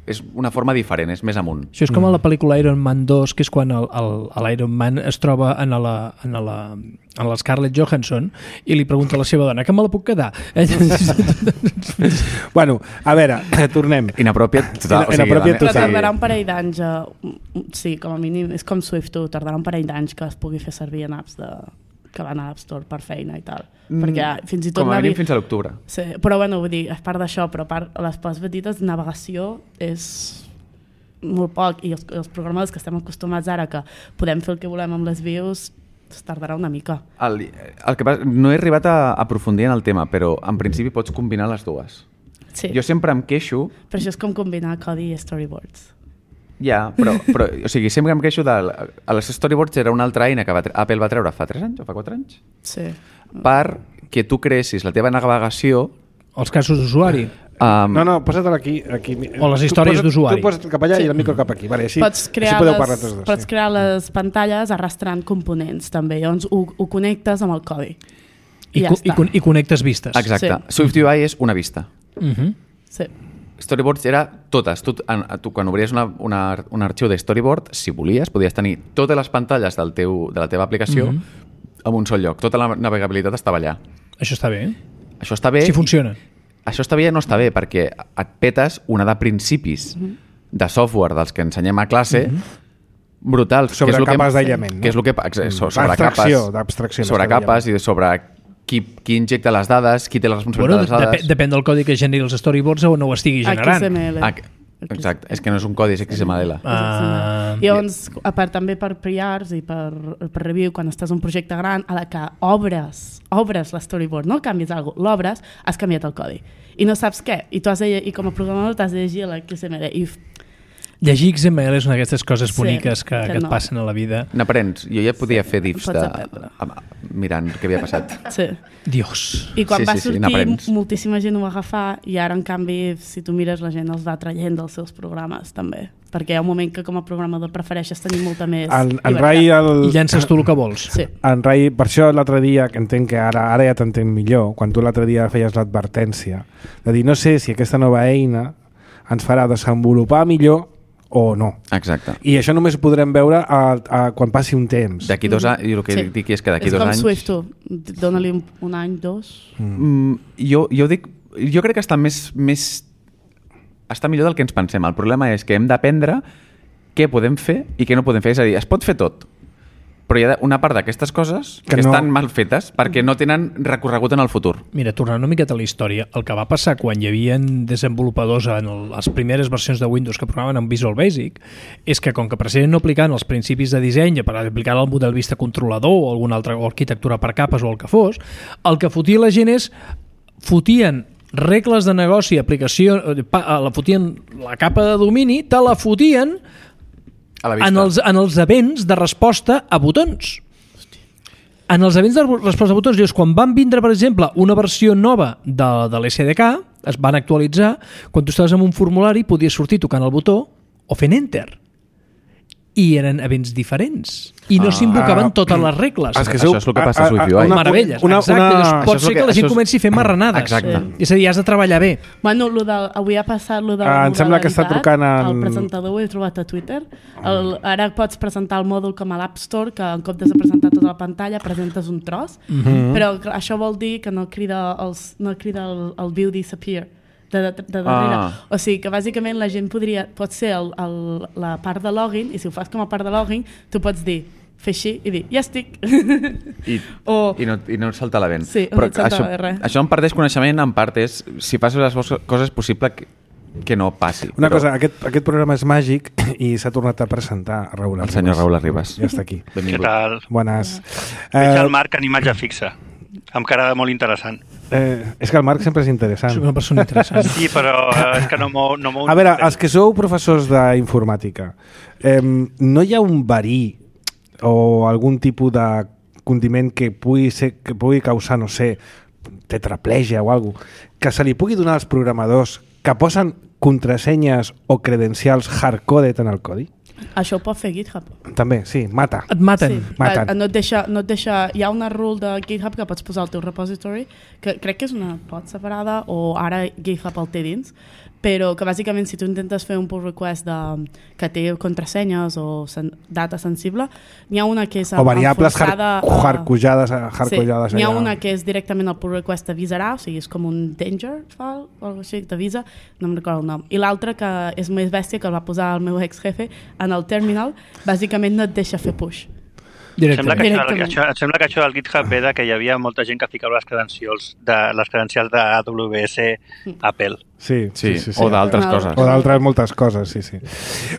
és una forma diferent, és més amunt. Això és com a la pel·lícula Iron Man dos, que és quan el- el- l'Iron Man es troba en la, en la, en la Scarlett Johansson i li pregunta a la seva dona, que me la puc quedar? Bueno, a veure, tornem. Inapropiat total. Ina- inapropiat Però total. tardarà un parell d'anys, a... sí, com a mínim, és com Swift, tu, tardarà un parell d'anys que es pugui fer servir en apps de... que van a l'App Store per feina i tal. Mm, perquè fins i tot... Com a navi- mínim fins a l'octubre. Sí, però bueno, vull dir, a part d'això, però a part, les parts petites, navegació és molt poc, i els, els programadors que estem acostumats ara que podem fer el que volem amb les views, es tardarà una mica. El, el que passa, no he arribat a aprofundir en el tema, però en principi pots combinar les dues. Sí, Jo sempre em queixo. però això és com combinar codi i storyboards. Ja, però, però o sigui, sempre em queixo de... A les storyboards era una altra eina que va, tre- Apple va treure fa tres anys o fa quatre anys Sí. per que tu creessis la teva navegació. Els casos d'usuari. Um, No, no, posa-te'l aquí, aquí. O les Tu històries posa't- d'usuari. Tu posa't cap allà Sí. i el micro cap aquí. Vale, així, Pots crear, així podeu les, parlar tots dos. pots sí. crear les pantalles arrastrant components també, llavors ho, ho connectes amb el codi. I, I ja co- i, està. con- I connectes vistes. Exacte. Sí. Swift U I és una vista. Uh -huh. Sí. Storyboards era totes. Tu, en, tu quan obries una, una, un arxiu de storyboard, si volies, podies tenir totes les pantalles del teu, de la teva aplicació Mhm. en un sol lloc. Tota la navegabilitat estava allà. Això està bé. Això està bé. Si funciona. Això està bé i no està bé, perquè et petes una de principis de software dels que ensenyem a classe brutals. Sobre que és el capes que, d'aïllament, no? Que és el que, ex- so- sobre D'abstracció, capes, d'abstracció, sobre més que capes i sobre qui, qui injecta les dades, qui té la responsabilitat Bueno, de les dades... dep depèn del codi que generi els storyboards o no ho estigui generant. X M L. Ah, exacte, és que no és un codi, és X M L. Ah, I llavors, a part també per P Rs i per, per review, quan estàs en un projecte gran, a la que obres, obres l'storyboard, no canvies alguna cosa, l'obres, has canviat el codi. I no saps què. I, tu has de, i com a programador t'has de llegir l'X M L. I llegir X M L és una d'aquestes coses Sí, boniques que, que que et no. passen a la vida. N'aprens. Jo ja podia fer diffs pots de... aprendre. mirant què havia passat. sí. Dios. I quan Sí, va sí, sí, sortir, n'aprens. moltíssima gent ho va agafar i ara, en canvi, si tu mires, la gent els va traient dels seus programes, també. Perquè hi ha un moment que com a programador prefereixes tenir molta més En, en llibertat. Rai... El... I llences tu el que vols. Sí. En Rai, per això l'altre dia, que entenc que ara, ara ja t'entenc millor, quan tu l'altre dia feies l'advertència, de dir, no sé si aquesta nova eina ens farà desenvolupar millor o no. Exacte. I això només ho podrem veure a, a, quan passi un temps. D'aquí dos anys, i el que Sí. dic és que d'aquí És dos com anys... Swift, tu. Dóna-li un, un any, dos. Mm, jo, jo dic... Jo crec que està més, més... està millor del que ens pensem. El problema és que hem d'aprendre què podem fer i què no podem fer. És a dir, es pot fer tot, però hi ha una part d'aquestes coses que, Que que no- estan mal fetes perquè no tenen recorregut en el futur. Mira, tornant una miqueta a la història, el que va passar quan hi havia desenvolupadors en el, les primeres versions de Windows que programaven en Visual Basic és que com que precisament no aplicaven els principis de disseny per aplicar el model vista controlador o alguna altra o arquitectura per capes o el que fos, el que fotia la gent és fotien regles de negoci, aplicació, eh, pa, la fotien la capa de domini, te la fotien A la vista. en els, en els events de resposta a botons. En els events de resposta a botons, llavors, quan van vindre, per exemple, una versió nova de, de l'S D K, es van actualitzar, quan tu estaves en un formulari podies sortir tocant el botó o fent Enter. I eren events diferents. I no Ah. s'invocaven Ah. totes les regles. És que Això sou- és el que passa a a- a- Swift U I. una- Meravelles, una- exacte. una- Llavors, Això pot és ser el que, que- la gent això és- comenci a fer marranades. Exacte. Sí. És a dir, has de treballar bé. Bueno, lo del, avui ha passat lo de Ah, la em sembla que està modularitat. trucant en- El presentador ho he trobat a Twitter. El, ara pots presentar el mòdul com a l'App Store, que en comptes de presentar tota la pantalla presentes un tros, mm -hmm. però clar, això vol dir que no crida, els, no crida el, el view disappear de, de, de darrere. Ah. O sigui que bàsicament la gent podria, pot ser el, el, la part de login, i si ho fas com a part de login, tu pots dir, fer així i dir, ja estic. I, O- i, no, i no et salta la vent. Sí, no però et salta això, res. això en part és coneixement, en part és si fas les coses és possible que, que no passi. Una però cosa, aquest, aquest programa és màgic i s'ha tornat a presentar Raül El senyor Raül Arribas. Ja està aquí. Què Benvingut. tal? Bones. Veig Eh, el Marc en imatge fixa, amb cara molt interessant. eh, és que el Marc sempre és interessant. Soc una persona interessant. Sí, però eh, és que no m'ho... No A veure, els que sou professors d'informàtica, eh, no hi ha un verí o algun tipus de condiment que pugui, ser, que pugui causar, no sé, tetraplegia o alguna cosa, que se li pugui donar als programadors que posen contrasenyes o credencials hardcoded en el codi? Això ho pot fer GitHub. També, sí, mata. Et maten. Sí, Maten. eh, no et deixa, no et deixa, hi ha una rule de GitHub que pots posar al teu repository, que crec que és una pot separada, o ara GitHub el té dins, però que bàsicament si tu intentes fer un pull request de, que té contrasenyes o sen, data sensible, n'hi ha una que és O variables enforçada har- hardcodades hardcodades sí, n'hi ha allà. una que és directament el pull request t'avisarà, o sigui, és com un danger file o alguna cosa així, t'avisa, no em recordo el nom. I l'altra, que és més bèstia, que el va posar el meu ex-jefe en el terminal, bàsicament no et deixa fer push. Sembla que, això, Directament. això, em sembla que això del GitHub ve de que hi havia molta gent que ficava les credencials de les credencials de A W S Apple. Sí, Sí, sí, sí, sí. o d'altres No. coses. O d'altres moltes coses, sí, sí.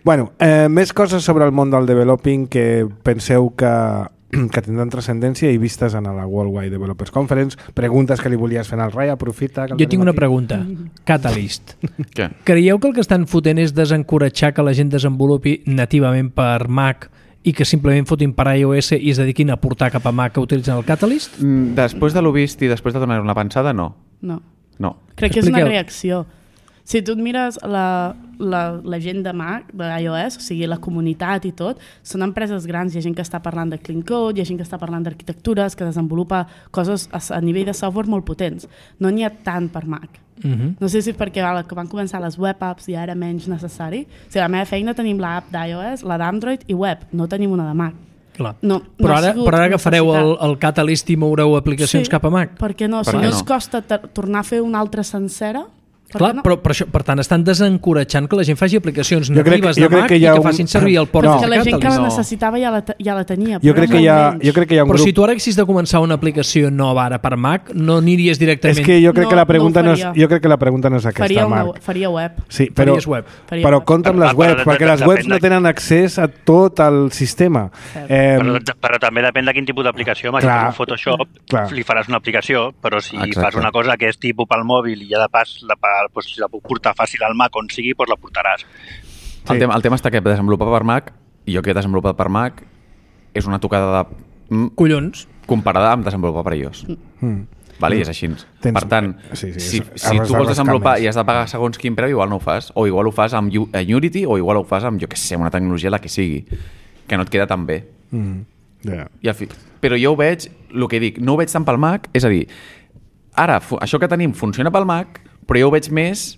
Bueno, eh, més coses sobre el món del developing que penseu que, que tindran transcendència i vistes en la Worldwide Developers Conference. Preguntes que li volies fer al Rai, aprofita. Que el Jo tinc tenim una aquí. pregunta. Catalyst. Què? Creieu que el que estan fotent és desencoratjar que la gent desenvolupi nativament per Mac i que simplement fotin per iOS i es dediquin a portar cap a Mac que utilitzen el Catalyst? Mm, Després de l'ho vist i després de donar una pensada, no. No. No. Crec que és una Expliqueu. reacció. Si tu et mires la, la, la gent de Mac, de iOS, o sigui, la comunitat i tot, són empreses grans, hi ha gent que està parlant de clean code, hi ha gent que està parlant d'arquitectures, que desenvolupa coses a, a nivell de software molt potents. No n'hi ha tant per Mac. Uh -huh. No sé si és perquè ara que van començar les web apps ja era menys necessari. O sigui, a la meva feina tenim l'app d'iOS, la d'Android i web, no tenim una de Mac. Clar. No, però, no ha ara, sigut però ara agafareu el, necessitat. el Catalyst i moureu aplicacions Sí, cap a Mac? Per què no? Per Si què no no? us costa tor- tornar a fer una altra sencera, Clar, no? però per, això, per tant estan desencoratjant que la gent faci aplicacions jo crec, natives jo de Mac que i que un... facin servir el port no. de que la gent que la no. necessitava ja la, ja la tenia. Jo crec, que hi ha, jo crec que hi ha un però grup... si tu ara haguessis de començar una aplicació nova ara per Mac, no aniries directament... És que jo crec, no, que, la pregunta no, no és, jo crec que la pregunta no és aquesta, faria Marc. Una, faria web. Sí, però, web. Faria però web. compta amb les Però, webs, però, perquè les webs no tenen accés a tot el sistema. Eh, però, però també depèn de quin tipus d'aplicació. Si fas un Photoshop, clar. li faràs una aplicació, però si Exacte. fas una cosa que és tipus pel mòbil i ja de pas la, pues, si la puc portar fàcil al Mac on sigui, doncs la portaràs. Sí. El, tema, el tema està que desenvolupar per Mac, i jo que he desenvolupat per Mac, és una tocada de... Mm, collons. Comparada amb desenvolupar per iOS. Mm. Vale? I és així. Tens... Per tant, sí, sí, si, és... si tu vols desenvolupar i has de pagar segons quin preu, igual no ho fas. O igual ho fas amb Unity, o igual ho fas amb, jo què sé, una tecnologia la que sigui, que no et queda tan bé. Mm. Yeah. I al fi... Però jo ho veig, el que dic, no ho veig tant pel Mac, és a dir, ara, això que tenim funciona pel Mac, però jo ho veig més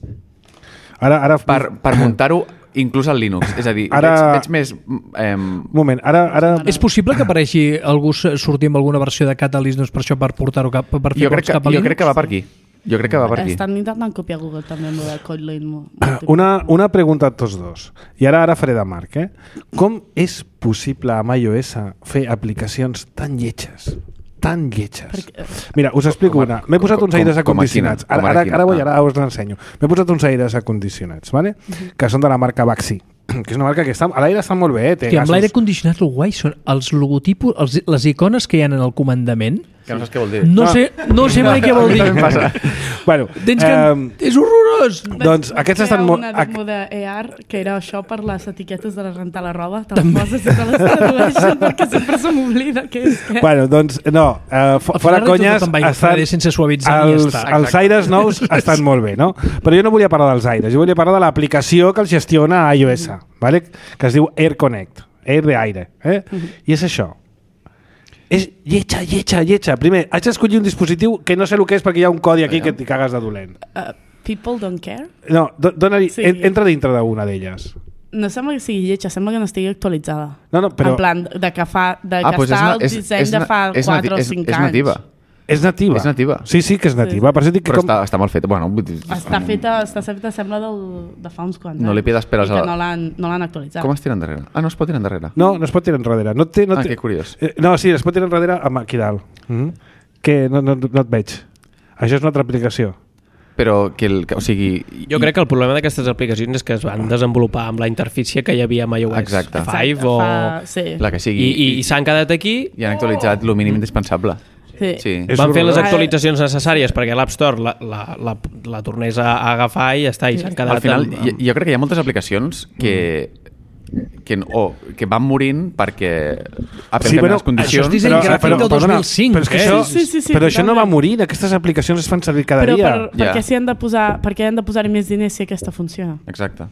ara, ara... per, per muntar-ho inclús al Linux. És a dir, ara... veig, veig més... Eh... Un moment, ara... ara... És possible que apareixi algú sortir amb alguna versió de Catalyst doncs, per això, per portar-ho cap, per fer jo crec que, cap a Linux? Jo crec que va per aquí. Jo crec que va per aquí. Estan intentant copiar Google també amb el Kotlin. Una, una pregunta a tots dos. I ara ara faré de Marc. Eh? Com és possible amb iOS fer aplicacions tan lletges? Tan lletges. Perquè... Mira, us explico com, una. M'he posat uns aires com, acondicionats. com Ara, ara, ara, vull, ah. ara us l'ensenyo. M'he posat uns aires acondicionats, ¿vale? Uh-huh. Que són de la marca Baxi, que és una marca que està, a l'aire està molt bé. Eh? Té que amb gasos... l'aire condicionat el guai són els logotipos, els, les icones que hi ha en el comandament. Que no saps què vol dir. No, sé, no sé mai què vol dir. Bueno, Tens que... eh, és horrorós! doncs aquests estan molt... Una demo de A R que era això per les etiquetes de rentar la roba. Te les poses i te les tradueixen perquè sempre se m'oblida què és què. Bueno, doncs no, uh, fora conyes, estan, sense suavitzar els, i ja està. els aires nous estan molt bé, no? Però jo no volia parlar dels aires, jo volia parlar de l'aplicació que els gestiona a iOS, vale? Que es diu Air Connect, Air de aire, eh? Uh-huh. I és això. És lletja, lletja, lletja. Primer, haig d'escollir un dispositiu que no sé el que és perquè hi ha un codi aquí que t'hi cagues de dolent. Uh, people don't care? No, do, dona-li, Sí. en, entra dintre d'una d'elles. No sembla que sigui lletja, sembla que no estigui actualitzada. No, no, però... En plan, de que, fa, de Ah, que pues és està na- el és- disseny és de na- fa és nati- quatre o és- cinc és anys. nativa. És nativa. És nativa. Sí, sí que és nativa. Per això dic que Però com... està, està molt fet. Bueno, vull dir, Està feta, està feta sembla del, de fa uns quants. No li pides peres I que a la- no l'han no l'han actualitzat. com es tira endarrere? Ah, no es pot tirar endarrere. No, no es pot tirar enrere. No té, no Ah, té... que curiós. Eh, No, sí, es pot tirar enrere amb aquí dalt. Mm-hmm. Que no, no, no et veig. Això és una altra aplicació. Però que, el, que o sigui... Jo crec que el problema d'aquestes aplicacions és que es van desenvolupar amb la interfície que hi havia amb iOS Exacte. cinc o... Fa, sí. La que sigui. I, i, i s'han quedat aquí, I han actualitzat el mínim indispensable. Sí. Sí. És van fer les horrorós. actualitzacions necessàries perquè l'App Store la, la, la, la tornés a, a agafar i ja està, i s'han quedat... Al final, amb, jo, jo crec que hi ha moltes aplicacions que, que, o, que van morint perquè Apple Sí, canvia bueno, les condicions. això és disseny gràfic del dos mil cinc, però és que eh? això, Sí, sí, sí, però això no va totalment. morir. Aquestes aplicacions es fan servir cada Però dia. per, per Ja. què s'hi han de posar, per què han de posar més diners si aquesta funciona? Exacte.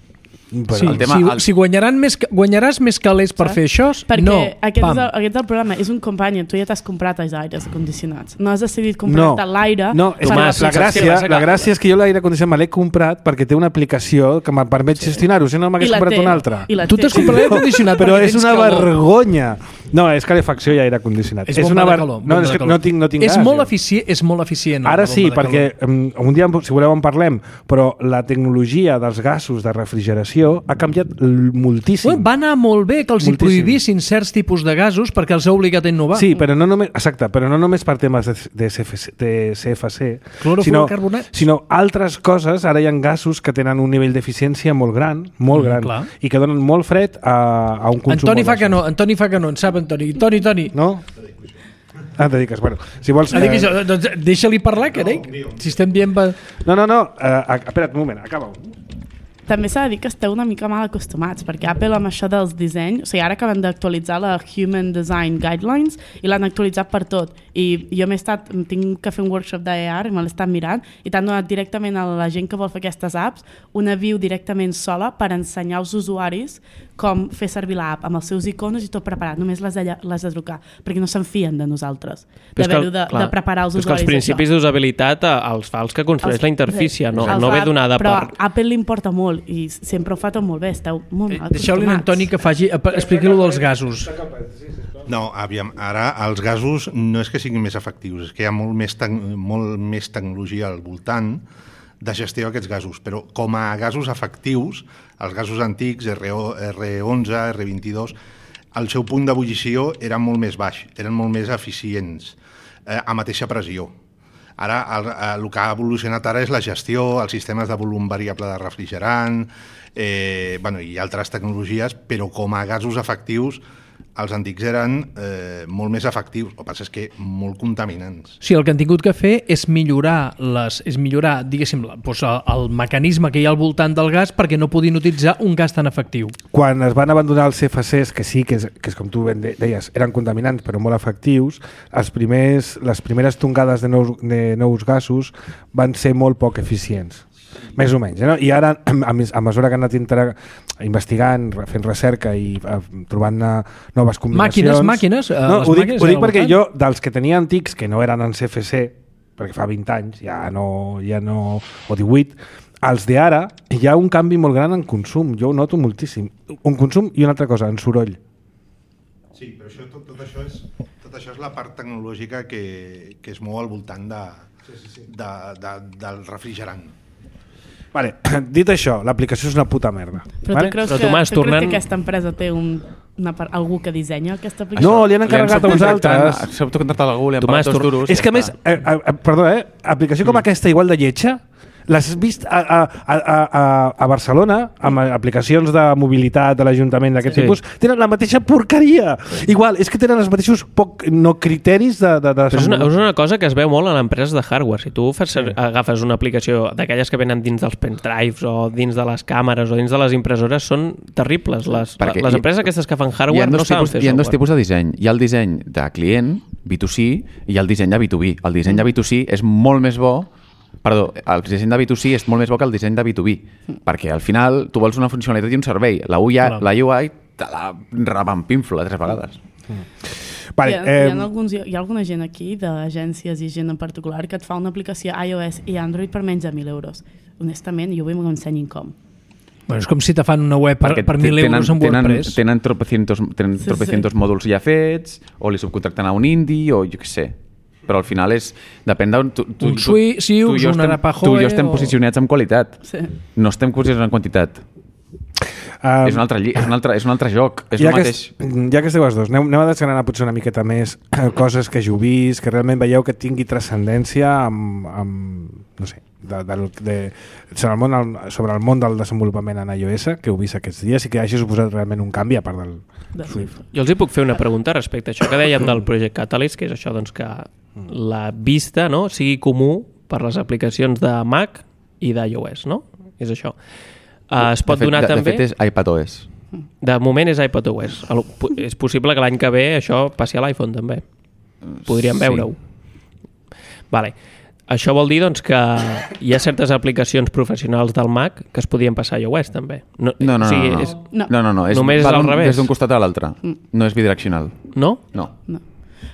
Però, Sí, el tema- si, el- si guanyaran més, guanyaràs més calés per Saps? fer això, Perquè no. aquest, Pam. és el, aquest és el problema, és un companion, tu ja t'has comprat els aires acondicionats, no has decidit no, comprar-te l'aire. no, és que Tomàs, la, saps què gràcia, passa? la gràcia és que jo l'aire condicionat me l'he comprat perquè té una aplicació que em permet gestionar-ho, si no I m'hagués la comprat té, una altra. i la Tu té. t'has comprat l'aire condicionat Però perquè és tens una calor. vergonya. No, és calefacció i aire condicionat. És és bomba una de ver... calor. No, bomba és de que calor. no tinc, no tinc és gas. molt jo. eficient, és molt eficient. Ara la sí, bomba de perquè calor. um, un dia, si voleu, en parlem, però la tecnologia dels gasos de refrigeració ha canviat l- moltíssim. Bueno, va anar molt bé que els hi Moltíssim. prohibissin certs tipus de gasos perquè els ha obligat a innovar. Sí, però no només, exacte, però no només per temes de, de, C F C, de C F C, sinó, Clorofluorocarbonats. sinó altres coses. Ara hi ha gasos que tenen un nivell d'eficiència molt gran, molt Mm, gran, clar. i que donen molt fred a, a un consum Antoni molt fa baix. que no, Antoni fa que no, en sap Antoni. Toni, Toni. No? Ah, et dediques. Bueno, si vols... Ah, dic eh, això, doncs deixa-li parlar, que no, si estem dient... Va... No, no, no, uh, espera't un moment, acaba-ho. També s'ha de dir que esteu una mica mal acostumats, perquè Apple amb això dels dissenys, o sigui, ara acaben d'actualitzar la Human Design Guidelines i l'han actualitzat per tot. I jo m'he estat, tinc que fer un workshop d'A R i me l'he estat mirant i t'han donat directament a la gent que vol fer aquestes apps una view directament sola per ensenyar als usuaris com fer servir l'app amb els seus icones i tot preparat, només les de, les de trucar, perquè no se'n fien de nosaltres, Però és que el- d'haver-ho de, clar, de preparar els però és que usuaris. els principis això. d'usabilitat eh, els fa els que construeix Els- la interfície, no, els no ve fa- donada però per... a Apple li importa molt i sempre ho fa tot molt bé, esteu molt mal Eh, Deixeu-li a Antoni que faci... Expliqui-lo dels gasos. No, aviam, ara els gasos no és que siguin més efectius, és que hi ha molt més, tec molt més tecnologia al voltant de gestió d'aquests gasos, però com a gasos efectius, els gasos antics, R onze, R vint-i-dos, el seu punt d'ebullició era molt més baix, eren molt més eficients, eh, a mateixa pressió. Ara, el, el que ha evolucionat ara és la gestió, els sistemes de volum variable de refrigerant, eh, bueno, i altres tecnologies, però com a gasos efectius, els antics eren eh, molt més efectius, el que passa és que molt contaminants. Sí, el que han tingut que fer és millorar, les, és millorar diguéssim, doncs, el mecanisme que hi ha al voltant del gas perquè no podien utilitzar un gas tan efectiu. Quan es van abandonar els C F Cs, que sí, que és, que és com tu ben deies, eren contaminants però molt efectius, els primers, les primeres tongades de nous, de nous gasos van ser molt poc eficients. Més o menys, no? I ara, a, a mesura que han anat inter... investigant, fent recerca i uh, trobant uh, noves combinacions... Màquines, màquines? Uh, no, les ho dic, màquines ho dic perquè jo, dels que tenia antics, que no eren en C F C, perquè fa vint anys, ja no, ja no o divuit, els d'ara hi ha un canvi molt gran en consum, jo ho noto moltíssim. Un consum i una altra cosa, en soroll. Sí, però això, tot, tot, això és, tot això és la part tecnològica que, que es mou al voltant de, sí, sí, sí. De, de, del refrigerant. Vale, dit això, l'aplicació és una puta merda. Però vale? tu creus, Però, que, Tomàs, tu tornant... creus que aquesta empresa té un, una, algú que dissenya aquesta aplicació? No, li han encarregat a uns altres. S'ha contractat algú, li han Tomàs, pagat dos duros. És que a més, eh, eh, perdó, eh, aplicació com aquesta igual de lletja, l'has vist a, a, a, a, a Barcelona, amb aplicacions de mobilitat de l'Ajuntament d'aquest Sí. tipus, tenen la mateixa porqueria. Igual, és que tenen els mateixos poc, no criteris de, de, de Però és una, és una cosa que es veu molt en empreses de hardware. Si tu fas, sí. agafes una aplicació d'aquelles que venen dins dels pendrives o dins de les càmeres o dins de les impressores, són terribles. Les, Perquè les hi- empreses aquestes que fan Hi hardware ha no dos, saben tipus, fer hi ha dos software. tipus de disseny. Hi ha el disseny de client, B dos C, i el disseny de B dos B. El disseny de B dos C és molt més bo Perdó, el disseny de B dos C és molt més bo que el disseny de B dos B, perquè al final tu vols una funcionalitat i un servei. La U I, la U I te la revampinfla tres vegades. Vale, hi, ha, eh, hi, ha alguns, hi ha alguna gent aquí, d'agències i gent en particular, que et fa una aplicació iOS i Android per menys de mil euros. Honestament, jo vull que m'ensenyin com. Bueno, és com si te fan una web per, Perquè per mil tenen, euros en tenen, WordPress. tenen tropecientos, tenen Sí, tropecientos sí. mòduls ja fets, o li subcontracten a un indie, o jo què sé. Però al final és... Depèn d'on... Tu, tu, Un Sui- Siux, tu i jo un estem- Arapahoe Tu i jo estem o- posicionats en qualitat. Sí. No estem posicionats en quantitat. Um, és, un altre, lli- és, un altre, és un altre joc. És ja, el que, mateix... es- ja que esteu els dos, aneu, aneu a desgranar potser una miqueta més eh, coses que jo he vist, que realment veieu que tingui transcendència amb, amb no sé, de, de, de, sobre, el món, sobre el món del desenvolupament en iOS, que heu vist aquests dies i que hagi suposat realment un canvi a part del De Swift. Jo els hi puc fer una pregunta respecte a això que dèiem del Project Catalyst, que és això doncs, que la vista, no, sigui comú per les aplicacions de Mac i d'iOS, no? És això. Uh, es pot de fet, donar de, també... De fet, és iPadOS. De moment és iPadOS. El, és possible que l'any que ve això passi a l'iPhone també. Podríem Sí. veure-ho. Vale. Això vol dir doncs, que hi ha certes aplicacions professionals del Mac que es podien passar a iOS també. No, No, no, o sigui, no. no. És, No. no, no, no. És, Només és va al d'un- revés. Des d'un costat a l'altre. No és bidireccional. no? No. No.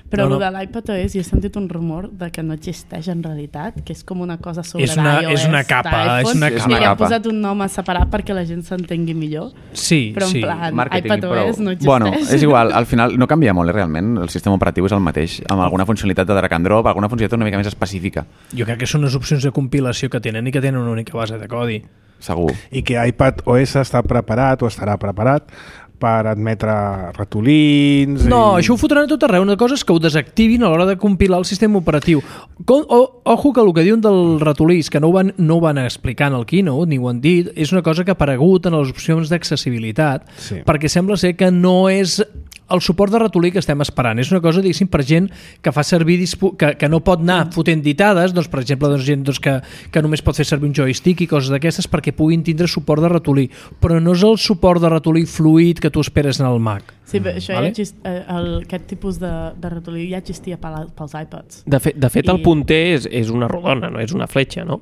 Però No, no, no. no. de l'iPadOS jo he sentit un rumor de que no existeix en realitat, que és com una cosa sobre És una- d'iOS, és una capa, és una d'iPhone, capa. i li han posat un nom a separar perquè la gent s'entengui millor. Sí, Però en sí. plan, Marketing, iPadOS però... no existeix. Bueno, és igual, al final no canvia molt, eh, realment. El sistema operatiu és el mateix, amb alguna funcionalitat de drag and drop, alguna funcionalitat una mica més específica, Jo crec que són unes opcions de compilació que tenen i que tenen una única base de codi. segur. I que iPadOS està preparat o estarà preparat per admetre ratolins... No, i... això ho fotran a tot arreu. Una cosa és que ho desactivin a l'hora de compilar el sistema operatiu. Com, o, ojo que el que diuen del ratolí, que no ho, van, no ho van explicar en el Keynote, ni ho han dit, és una cosa que ha aparegut en les opcions d'accessibilitat, Sí. perquè sembla ser que no és el suport de ratolí que estem esperant. És una cosa, diguéssim, per gent que fa servir dispo que, que no pot anar fotent ditades, doncs, per exemple, doncs, gent doncs, que, que només pot fer servir un joystick i coses d'aquestes perquè puguin tindre suport de ratolí. Però no és el suport de ratolí fluid que tu esperes en el Mac. Sí, però això Vale. vale? ja exist, eh, el, aquest tipus de, de ratolí ja existia pel, pels iPods. De, fe, de fet, el I- punter és, és una rodona, no és una fletxa, no?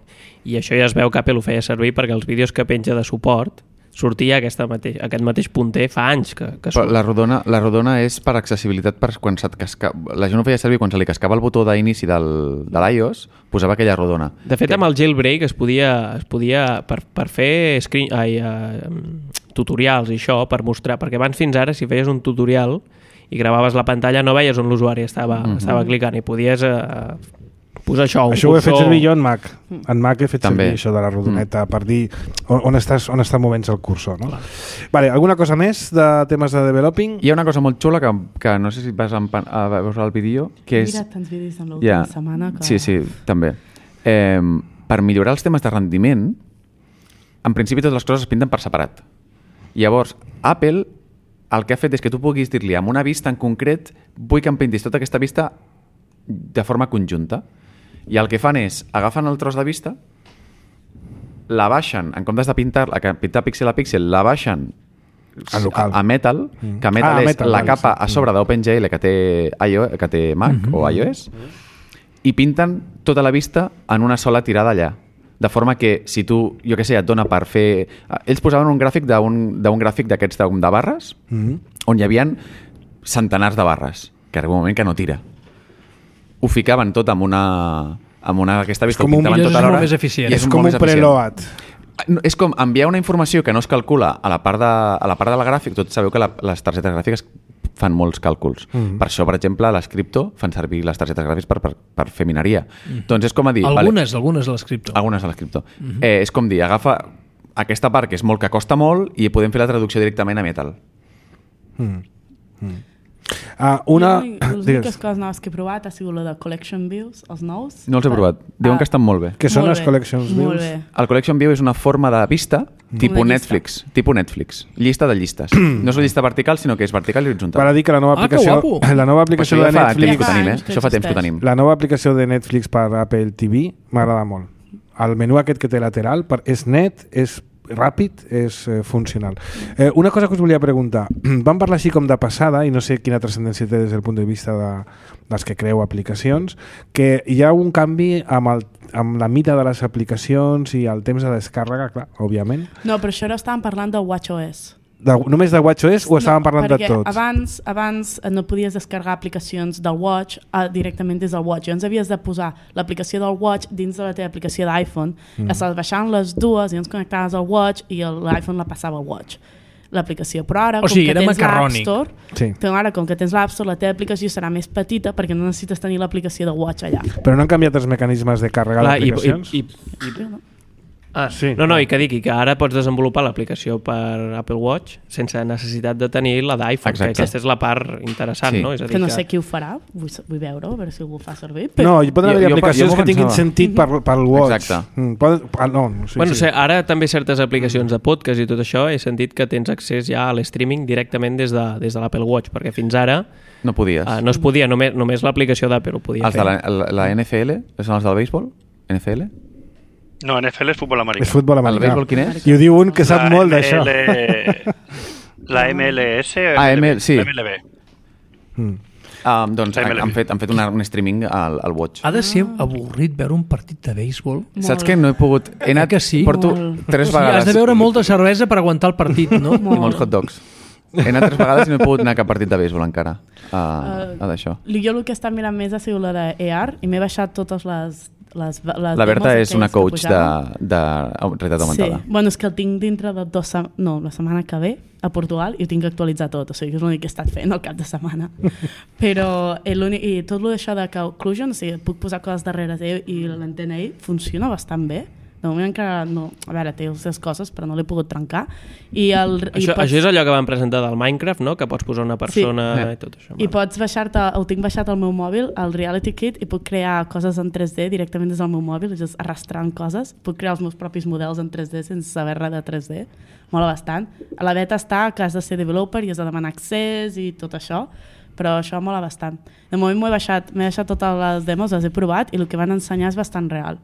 I això ja es veu que Apple ho feia servir perquè els vídeos que penja de suport sortia aquesta mateix, aquest mateix punter fa anys que, que Però surt. la rodona, la rodona és per accessibilitat per quan se't casca... La gent ho feia servir quan se li cascava el botó d'inici del, de l'iOS, posava aquella rodona. De fet, amb el jailbreak es podia, es podia per, per fer screen, ai, uh, tutorials i això, per mostrar, perquè abans fins ara si feies un tutorial i gravaves la pantalla no veies on l'usuari estava, Mhm. estava clicant i podies uh, Posar això, un Això ho he fet cursor... servir jo en Mac. En Mac he fet També. servir això de la rodoneta mm. per dir on, on, estàs, on està movent el cursor. No? Vale, alguna cosa més de temes de developing? Hi ha una cosa molt xula que, que no sé si vas a, a veure el vídeo, que és... Mira tants vídeos en l'última yeah. setmana que... Sí, sí, també. Eh, per millorar els temes de rendiment, en principi totes les coses es pinten per separat. Llavors, Apple el que ha fet és que tu puguis dir-li amb una vista en concret vull que em pintis tota aquesta vista de forma conjunta. I el que fan és, agafen el tros de vista, la baixen, en comptes de pintar, pintar píxel a píxel, la baixen a, a Metal, mm. que Metal ah, és metal, la vale, capa sí. a sobre d'OpenGL que té, iOS, que té Mac mm -hmm. o iOS, i pinten tota la vista en una sola tirada allà. De forma que si tu, jo què sé, et dona per fer... Ells posaven un gràfic d'un gràfic d'aquests de, de barres, mm -hmm. on hi havia centenars de barres, que arriba un moment que no tira. Ho ficaven tot amb una, amb una aquesta vista, ho pintaven tota l'hora. És eficient. I és, és com un preload. És com enviar una informació que no es calcula a la part de, a la part de la gràfica. Tots sabeu que la, les targetes gràfiques fan molts càlculs. Mm. Per això, per exemple, a l'escripto fan servir les targetes gràfiques per, per, per fer mineria. Mm. Doncs és com a dir... Algunes, vale, algunes a l'escripto. Algunes a l'escripto. Mm -hmm. eh, és com dir, agafa aquesta part que és molt que costa molt i podem fer la traducció directament a Metal. Mm. Mm. Uh, una... Les úniques coses noves que he provat ha sigut la de Collection Views, els nous. No els he provat. Diuen ah, que estan molt bé. Què són molt les bé, Collection Views? El Collection View és una forma de vista mm. tipus Netflix. Tipus Netflix. Llista de llistes. No és una llista vertical, sinó que és vertical i horitzontal. Per a dir que la nova aplicació, ah, la nova aplicació pues de fa Netflix... Temps que tenim, eh? Això fa temps que ho tenim. La nova aplicació de Netflix per Apple T V m'agrada molt. El menú aquest que té lateral per, és net, és ràpid, és eh, funcional. Eh, una cosa que us volia preguntar. Vam parlar així com de passada, i no sé quina transcendència té des del punt de vista de, dels que creu aplicacions, que hi ha un canvi amb, el, amb la mida de les aplicacions i el temps de descàrrega, clar, òbviament. No, però això ara estàvem parlant de WatchOS. De, només de WatchOS o estàvem no, parlant de tots? Abans, abans no podies descarregar aplicacions del Watch uh, directament des del Watch. Llavors havies de posar l'aplicació del Watch dins de la teva aplicació d'iPhone, mm. estaves baixant les dues i llavors connectaves al Watch i l'iPhone la passava al Watch, l'aplicació. Però ara, o com sigui, que tens l'App Store, sí. ara, com que tens l'App Store, la teva aplicació serà més petita perquè no necessites tenir l'aplicació de Watch allà. Però no han canviat els mecanismes de càrrega d'aplicacions? I, i, i, i... Ah, sí. No, no, i que digui que ara pots desenvolupar l'aplicació per Apple Watch sense necessitat de tenir la d'iPhone, que aquesta és la part interessant, sí. no? És a dir que no que... sé qui ho farà, vull, vull veure, a veure si algú ho fa servir. Però... No, hi poden haver aplicacions jo, jo que tinguin sentit per, pel Watch. Exacte. Mm, poden... ah, no, no, sí, bueno, sí. Sé, ara també certes aplicacions de podcast i tot això, he sentit que tens accés ja a l'streaming directament des de, des de l'Apple Watch, perquè fins ara no podies. Uh, no es podia, només, només l'aplicació d'Apple ho podia els fer. Els de la, la, la N F L? Són els del béisbol? N F L? No, N F L és futbol americà. És futbol americà. El béisbol quin és? I ho diu un que sap la molt d'això. La M L S o ah, M L, sí. M L B? Mm. Um, doncs han, han fet, han fet una, un streaming al, al Watch. Ha de ser avorrit veure un partit de béisbol. Saps que no he pogut... He anat, que sí? Porto Molt. tres O sigui, vegades... has de beure molta cervesa per aguantar el partit, no? I molts hot dogs. He anat tres vegades i no he pogut anar a cap partit de béisbol encara. A, a d'això. Jo el que he estat mirant més ha sigut la d'A R i m'he baixat totes les... Les, les la Berta és una coach de, de realitat augmentada. Sí, bueno, és que el tinc dintre de dos sem no, la setmana que ve a Portugal i ho tinc que actualitzar tot, o sigui que és l'únic que he estat fent al cap de setmana. Però i tot això de que Occlusion, o sigui, puc posar coses darrere teu i l'antena ell funciona bastant bé. De moment encara no... A veure, té les seves coses, però no l'he pogut trencar. I el, això, i pots... això és allò que van presentar del Minecraft, no? Que pots posar una persona sí. i tot això. I pots baixar-te, ho tinc baixat al meu mòbil, el Reality Kit, i puc crear coses en tres D directament des del meu mòbil, just arrastrant coses. Puc crear els meus propis models en tres D sense saber res de tres D. Mola bastant. A la beta està que has de ser developer i has de demanar accés i tot això, però això mola bastant. De moment m'ho he baixat, m'he baixat totes les demos, les he provat i el que van ensenyar és bastant real.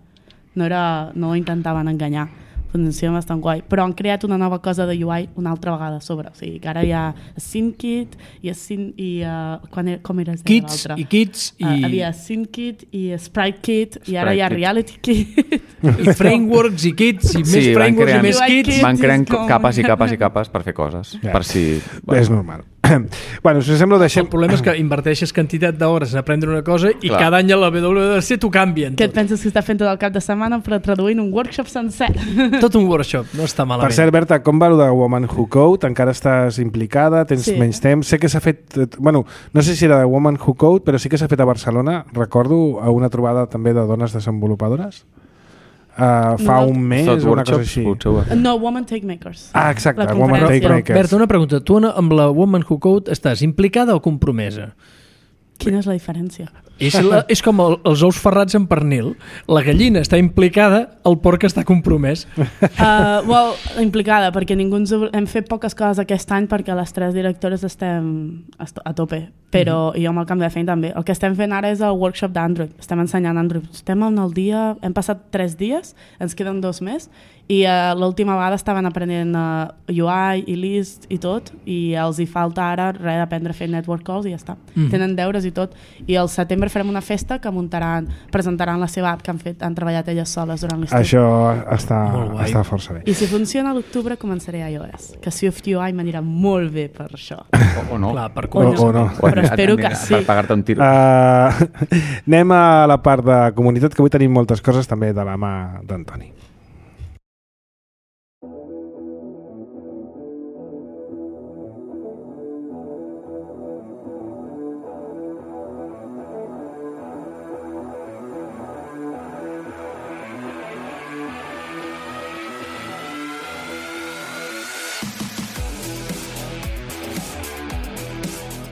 No, era, no intentaven enganyar, funciona bastant guai, però han creat una nova cosa de U I una altra vegada a sobre, o sigui que ara hi ha SceneKit i, i uh, quan era, com era Kits i Kits i... Uh, havia SceneKit i SpriteKit i ara hi ha Reality Kit i frameworks i kits i sí, més frameworks creant, i més kits van creant capes i capes i capes per fer coses, yeah. per si... Bueno. És normal. bueno, si us sembla, deixem... El problema és que inverteixes quantitat d'hores en aprendre una cosa i Clar. cada any a la W W D C t'ho canvien. Què et penses que està fent tot el cap de setmana però traduint un workshop sencer? Tot un workshop, no està malament. Per cert, Berta, com va el de Woman Who Code? Encara estàs implicada? Tens Sí. menys temps? Sé que s'ha fet... Bueno, no sé si era de Woman Who Code, però sí que s'ha fet a Barcelona, recordo, a una trobada també de dones desenvolupadores. Uh, fa No. un mes Thought o una cosa workshops, així. potser ho- No, Woman Take Makers. Ah, exacte, La Woman conferència. Take Però, Makers. Berta, una pregunta. Tu amb la Woman Who Code estàs implicada o compromesa? Quina és la diferència? És, la, és com el, els ous ferrats en pernil. La gallina està implicada, el porc està compromès. Uh, well, implicada, perquè ningú ens... obr- hem fet poques coses aquest any perquè les tres directores estem a to- a tope, però mm-hmm. jo amb el canvi de feina també. El que estem fent ara és el workshop d'Android. Estem ensenyant Android. Estem en el dia... Hem passat tres dies, ens queden dos més, i uh, l'última vegada estaven aprenent uh, U I i List i tot, i els hi falta ara res d'aprendre a fer network calls i ja està. Mm. Tenen deures i tot. I al setembre farem una festa que muntaran, presentaran la seva app que han, fet, han treballat elles soles durant l'estiu. Això està, Molt guai. està força bé. I si funciona a l'octubre començaré a iOS, que Swift U I m'anirà molt bé per això. O, o no. Clar, per O O, o no. Però espero que sí. Per pagar-te un tiro. Uh, anem a la part de comunitat, que avui tenim moltes coses també de la mà d'Antoni.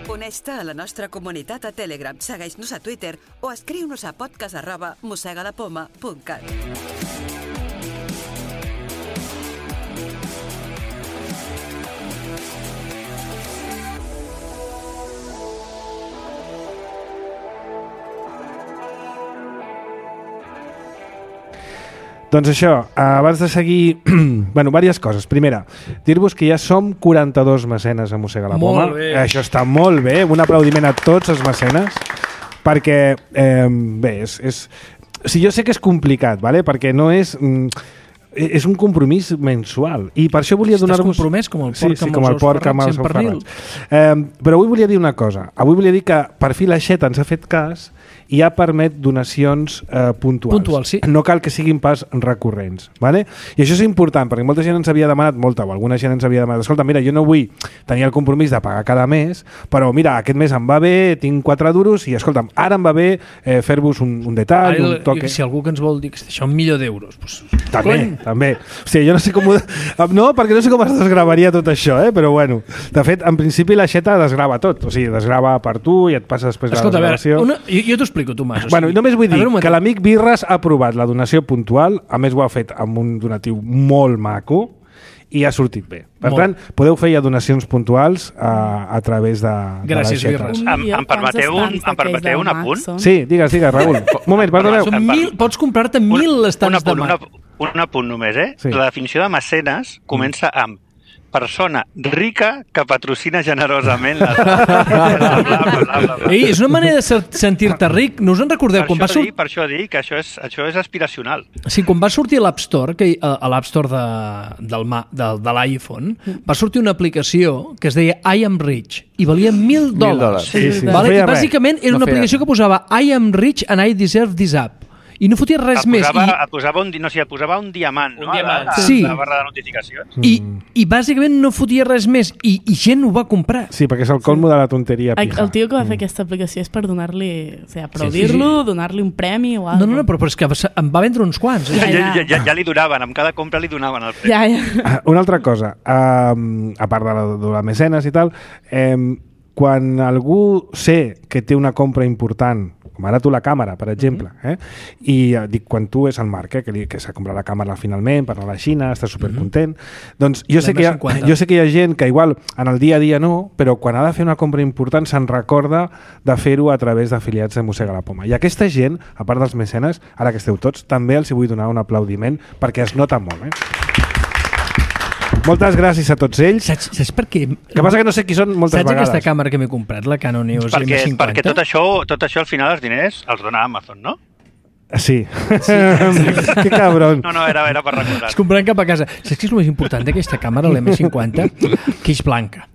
Uneix-te a la nostra comunitat a Telegram, segueix-nos a Twitter o escriu-nos a podcast arroba mossegalapoma punt cat. Doncs això, abans de seguir... bueno, diverses coses. Primera, dir-vos que ja som quaranta-dos mecenes a Mossega la Poma. Molt bé. Això està molt bé. Un aplaudiment a tots els mecenes. Perquè, eh, bé, és, és... O sigui, jo sé que és complicat, ¿vale? Perquè no és... Mm, és un compromís mensual. I per això volia Estàs donar-vos... compromès com el Sí, porc sí, amb com els el ous porc amb ferrats els i en ous pernil. ferrats. Eh, però avui volia dir una cosa. Avui volia dir que per fi la Xeta ens ha fet cas i ja permet donacions eh, puntuals. Puntuals, sí. No cal que siguin pas recurrents. ¿Vale? I això és important, perquè molta gent ens havia demanat, molta o alguna gent ens havia demanat, escolta, mira, jo no vull tenir el compromís de pagar cada mes, però mira, aquest mes em va bé, tinc quatre duros i, escolta'm, ara em va bé eh, fer-vos un, un detall, Ara, un toque... si algú que ens vol dir que això un milió d'euros, doncs, També, cony. també. O sigui, jo no sé com... Ho... No, perquè no sé com es desgravaria tot això, eh? Però bueno. De fet, en principi la Xeta desgrava tot. O sigui, desgrava per tu i et passa després Escolta, a la veure, desgravació. una, jo, jo t'ho explico, Tomàs. O Bueno, sigui, només vull a dir veure un que moment. l'amic Birres ha aprovat la donació puntual, a més ho ha fet amb un donatiu molt maco i ha sortit bé. Per Molt. tant, podeu fer ja donacions puntuals a, a través de, Gràcies, de la Xeta. Birres. Un Em- milió, em permeteu quants un- estants em permeteu d'aquells un del apunt? Mac són? Sí, digues, digues, Raül. Un moment, perdoneu. Són mil, pots comprar-te Un- mil un estants de apunt, un, Mac. apunt, un apunt només, eh? Sí. La definició de mecenes comença amb persona rica que patrocina generosament la... bla, bla, bla, bla, bla. Ei, és una manera de ser- sentir-te ric. No us en recordeu? Per Quan va, això, sort... dic, per això dic que això és, això és aspiracional. sí, quan va sortir l'App Store, que, a, a l'App Store de, del, Ma- de, de l'iPhone, va sortir una aplicació que es deia I am rich i valia mil dòlars. dòlars. Sí, sí, no Vale? feia I res. bàsicament era No una feia aplicació res. que posava I am rich and I deserve this app. I no fotia res Et més. posava, I, et posava un, di- no, sí, et posava un diamant, Un no? diamant. A la, a Sí. la barra de notificacions. i, I bàsicament no fotia res més. I, i gent ho va comprar. Sí, perquè és el colmo de la tonteria El, pija. el tio que va fer aquesta aplicació és per donar-li, o sigui, Sí, aplaudir-lo, sí, sí. donar-li un premi o No, alguna no, no, però, però és que em va vendre uns quants. Ja, Eh? ja, ja, ja, ja li donaven, amb cada compra li donaven el premi. Ja, ja. Ah, una altra cosa, um, a part de la, de la mecenes i tal, um, quan algú sé que té una compra important, com ara tu la càmera, per exemple, eh? i eh, dic, quan tu és el Marc, eh? que, li, que s'ha comprat la càmera finalment per anar a la Xina, està supercontent, doncs jo sé, que hi ha, l'M cinquanta. jo sé que hi ha gent que igual en el dia a dia no, però quan ha de fer una compra important se'n recorda de fer-ho a través d'afiliats de Mossega la Poma. I aquesta gent, a part dels mecenes, ara que esteu tots, també els hi vull donar un aplaudiment perquè es nota molt. Eh? Moltes gràcies a tots ells. Saps, saps per què? El que passa que no sé qui són moltes Saps vegades. aquesta càmera que m'he comprat, la Canon EOS Perquè, M cinquanta? perquè tot, això, tot això, al final, els diners els dona Amazon, no? Sí. Que cabron. No, no, era, era per recordar. Es compraran cap a casa. Saps què és el més important d'aquesta càmera, l'M cinquanta? Que és blanca.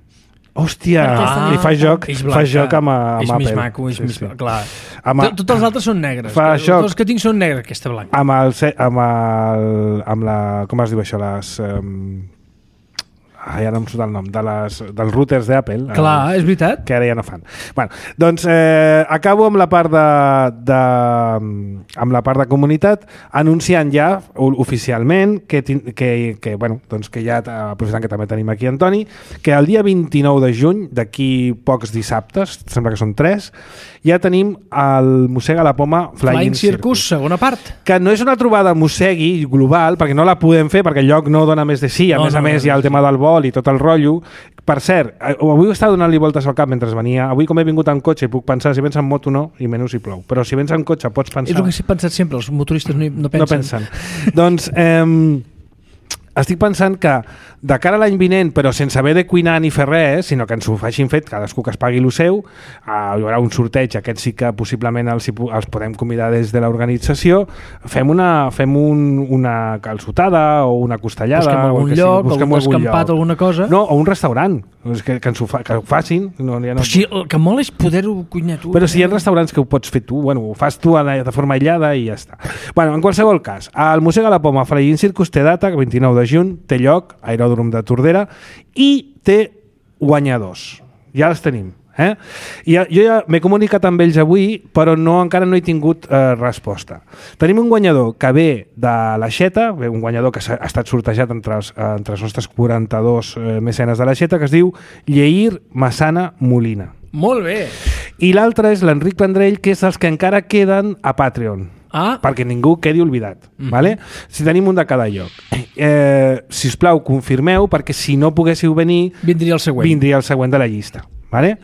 Hòstia, i fa joc, fa joc amb, amb és Apple. més maco, és sí, més... sí. Clar. Amb, Tots els altres són negres. Fa Tots joc. els que tinc són negres, aquesta blanca. Amb el, amb el, amb la, com es diu això, les... Um, ai, ara em surt el nom, de les, dels routers d'Apple. Clar, eh, és veritat. Que ara ja no fan. Bueno, doncs eh, acabo amb la part de, de, amb la part de comunitat, anunciant ja oficialment que, que, que, bueno, doncs que ja, aprofitant que també tenim aquí Antoni, que el dia vint-i-nou de juny, d'aquí pocs dissabtes, sembla que són tres, ja tenim el Mossega la Poma Flying, Flying Circus, Circus, segona part. que no és una trobada mossegui global, perquè no la podem fer, perquè el lloc no dona més de sí, a No, més no, a més no, hi ha el no, tema del vol i tot el rotllo. Per cert, avui estava donant-li voltes al cap mentre venia. Avui, com he vingut en cotxe, puc pensar si vens en moto no, i menys si plou. Però si vens en cotxe pots pensar... És el que he pensat sempre, els motoristes no, no pensen. No pensen. Doncs eh, estic pensant que de cara a l'any vinent, però sense haver de cuinar ni fer res, sinó que ens ho facin fet, cadascú que es pagui el seu, eh, hi haurà un sorteig, aquest sí que possiblement els, els podem convidar des de l'organització, fem una fem un, una calçotada o una costellada. Busquem algun o el que lloc, sigui, algun descampat, lloc. alguna cosa. No, o un restaurant, que, que, ens ho, fa, que ho facin. No, ja no... Però si el que mola és poder-ho cuinar tu. Però si hi ha restaurants que ho pots fer tu, bueno, ho fas tu de forma aïllada i ja està. Bueno, en qualsevol cas, el Mossega la Poma Flying Circus té data, vint-i-nou de juny, té lloc, aeròdrom de Tordera, i té guanyadors. Ja els tenim. Eh? I jo ja m'he comunicat amb ells avui, però no, encara no he tingut eh, resposta. Tenim un guanyador que ve de l'Aixeta, un guanyador que ha estat sortejat entre els, eh, entre els nostres quaranta-dos eh, mecenes de l'Aixeta, que es diu Lleir Massana Molina. Molt bé. I l'altre és l'Enric Vendrell, que és els que encara queden a Patreon. Ah. Perquè ningú quedi oblidat. Mm-hmm. Vale? Si tenim un de cada lloc. Eh, sisplau, confirmeu, perquè si no poguéssiu venir... Vindria el següent. Vindria el següent de la llista. Vale?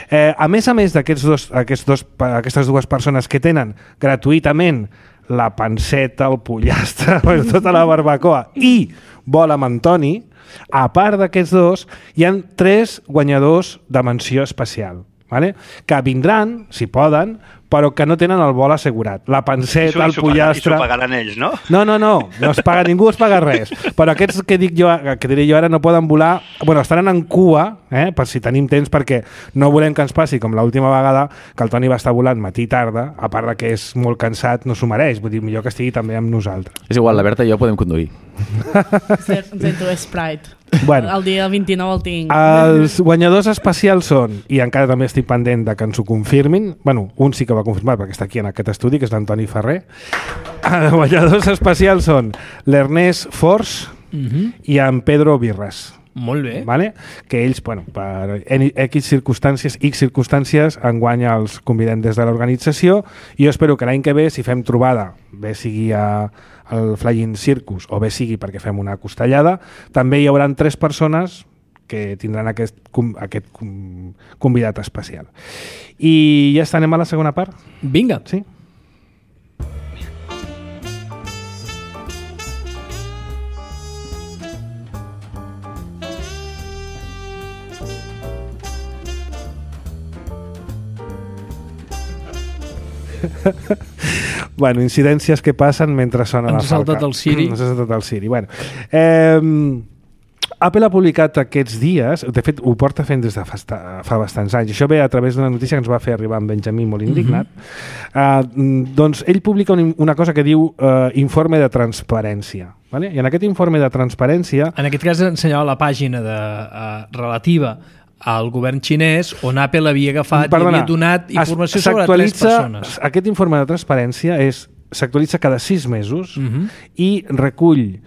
Eh, a més a més d'aquests dos, aquests dos, aquestes dues persones que tenen gratuïtament la panceta, el pollastre, tota la barbacoa i vol amb Antoni, a part d'aquests dos, hi han tres guanyadors de menció especial. Vale? Que vindran, si poden, però que no tenen el vol assegurat. La panceta, el pollastre... I s'ho pagaran ells, no? No, no, no, no es paga, ningú es paga res. Però aquests que dic jo, que diré jo ara no poden volar, bueno, estaran en cua, eh, per si tenim temps, perquè no volem que ens passi com l'última vegada que el Toni va estar volant matí i tarda, a part de que és molt cansat, no s'ho mereix, vull dir, millor que estigui també amb nosaltres. És igual, la Berta i jo podem conduir. Zento Sprite. Bueno, el dia vint-i-nou el tinc. Els guanyadors especials són, i encara també estic pendent de que ens ho confirmin, bueno, un sí que va confirmar perquè està aquí en aquest estudi, que és l'Antoni Ferrer. Els guanyadors especials són l'Ernest Fors uh-huh. i en Pedro Birras. Molt bé. Vale? Que ells, bueno, per X circumstàncies, X circumstàncies, enguany els convidem des de l'organització i jo espero que l'any que ve, si fem trobada, bé sigui a el Flying Circus o bé sigui perquè fem una costellada, també hi haurà tres persones que tindran aquest, aquest convidat especial. I ja està, anem a la segona part? Vinga. Sí? Bueno, incidències que passen mentre sona la falca. Ens ha saltat el Siri. Ens ha saltat el Siri. Bueno, eh, Apple ha publicat aquests dies, de fet ho porta fent des de fa, fa bastants anys, això ve a través d'una notícia que ens va fer arribar en Benjamí molt indignat. Uh-huh. uh, doncs ell publica un, una cosa que diu uh, informe de transparència. Vale? I en aquest informe de transparència... En aquest cas ensenyava la pàgina de, uh, relativa al govern xinès on Apple havia agafat Perdona, i havia donat informació sobre tres persones. Aquest informe de transparència és s'actualitza cada sis mesos uh-huh. i recull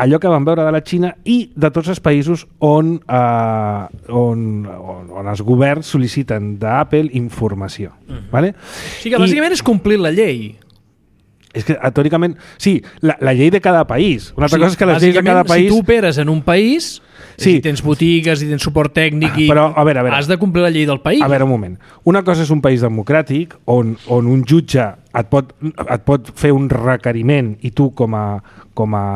allò que vam veure de la Xina i de tots els països on, eh, on, on, on els governs sol·liciten d'Apple informació. Uh-huh. Vale? O sigui que bàsicament I, és complir la llei. És que, teòricament, sí, la, la llei de cada país. Una altra sí, cosa és que les lleis de cada país... Si tu operes en un país, sí. si tens botigues i tens suport tècnic i Però, a veure, a veure, has de complir la llei del país. A veure, un moment. Una cosa és un país democràtic on, on un jutge et pot, et pot fer un requeriment i tu com a, com a,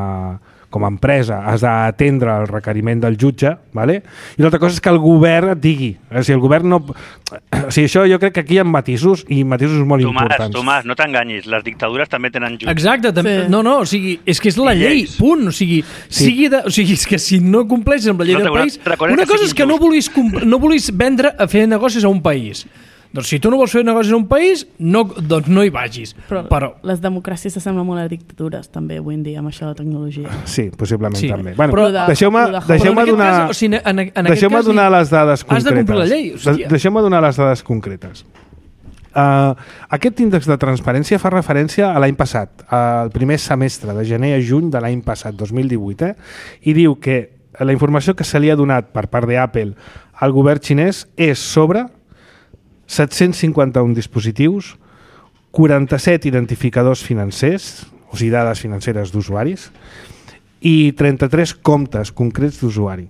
com a empresa, has d'atendre el requeriment del jutge, ¿vale? I l'altra cosa és que el govern et digui. O sigui, el govern no... O sigui, això jo crec que aquí hi ha matisos i matisos molt Tomàs, importants. Tomàs, no t'enganyis, les dictadures també tenen jutge. Exacte, també, Sí. no, no, o sigui, és que és la I llei, lleis. punt, o sigui, Sí. sigui de, o sigui, és que si no compleixes amb la llei No, del una país, altra cosa és una que cosa és sigui que no injust. vulguis, comp- no vulguis vendre a fer negocis a un país. Doncs si tu no vols fer negocis a un país, no, doncs no hi vagis. Però, Però les democràcies s'assemblen molt a dictatures, també, avui en dia, amb això de la tecnologia. Sí, possiblement Sí. també. Bueno, Però- però, deixeu-me però de- deixeu però en aquest donar, cas, o sigui, en, en aquest deixeu cas, donar les dades has concretes. de complir la llei, hòstia. De- Deixeu-me donar les dades concretes. Uh, aquest índex de transparència fa referència a l'any passat, al primer semestre, de gener a juny de l'any passat, dos mil divuit, eh? I diu que la informació que se li ha donat per part d'Apple al govern xinès és sobre set-cents cinquanta-un dispositius, quaranta-set identificadors financers, o sigui, dades financeres d'usuaris, i trenta-tres comptes concrets d'usuari.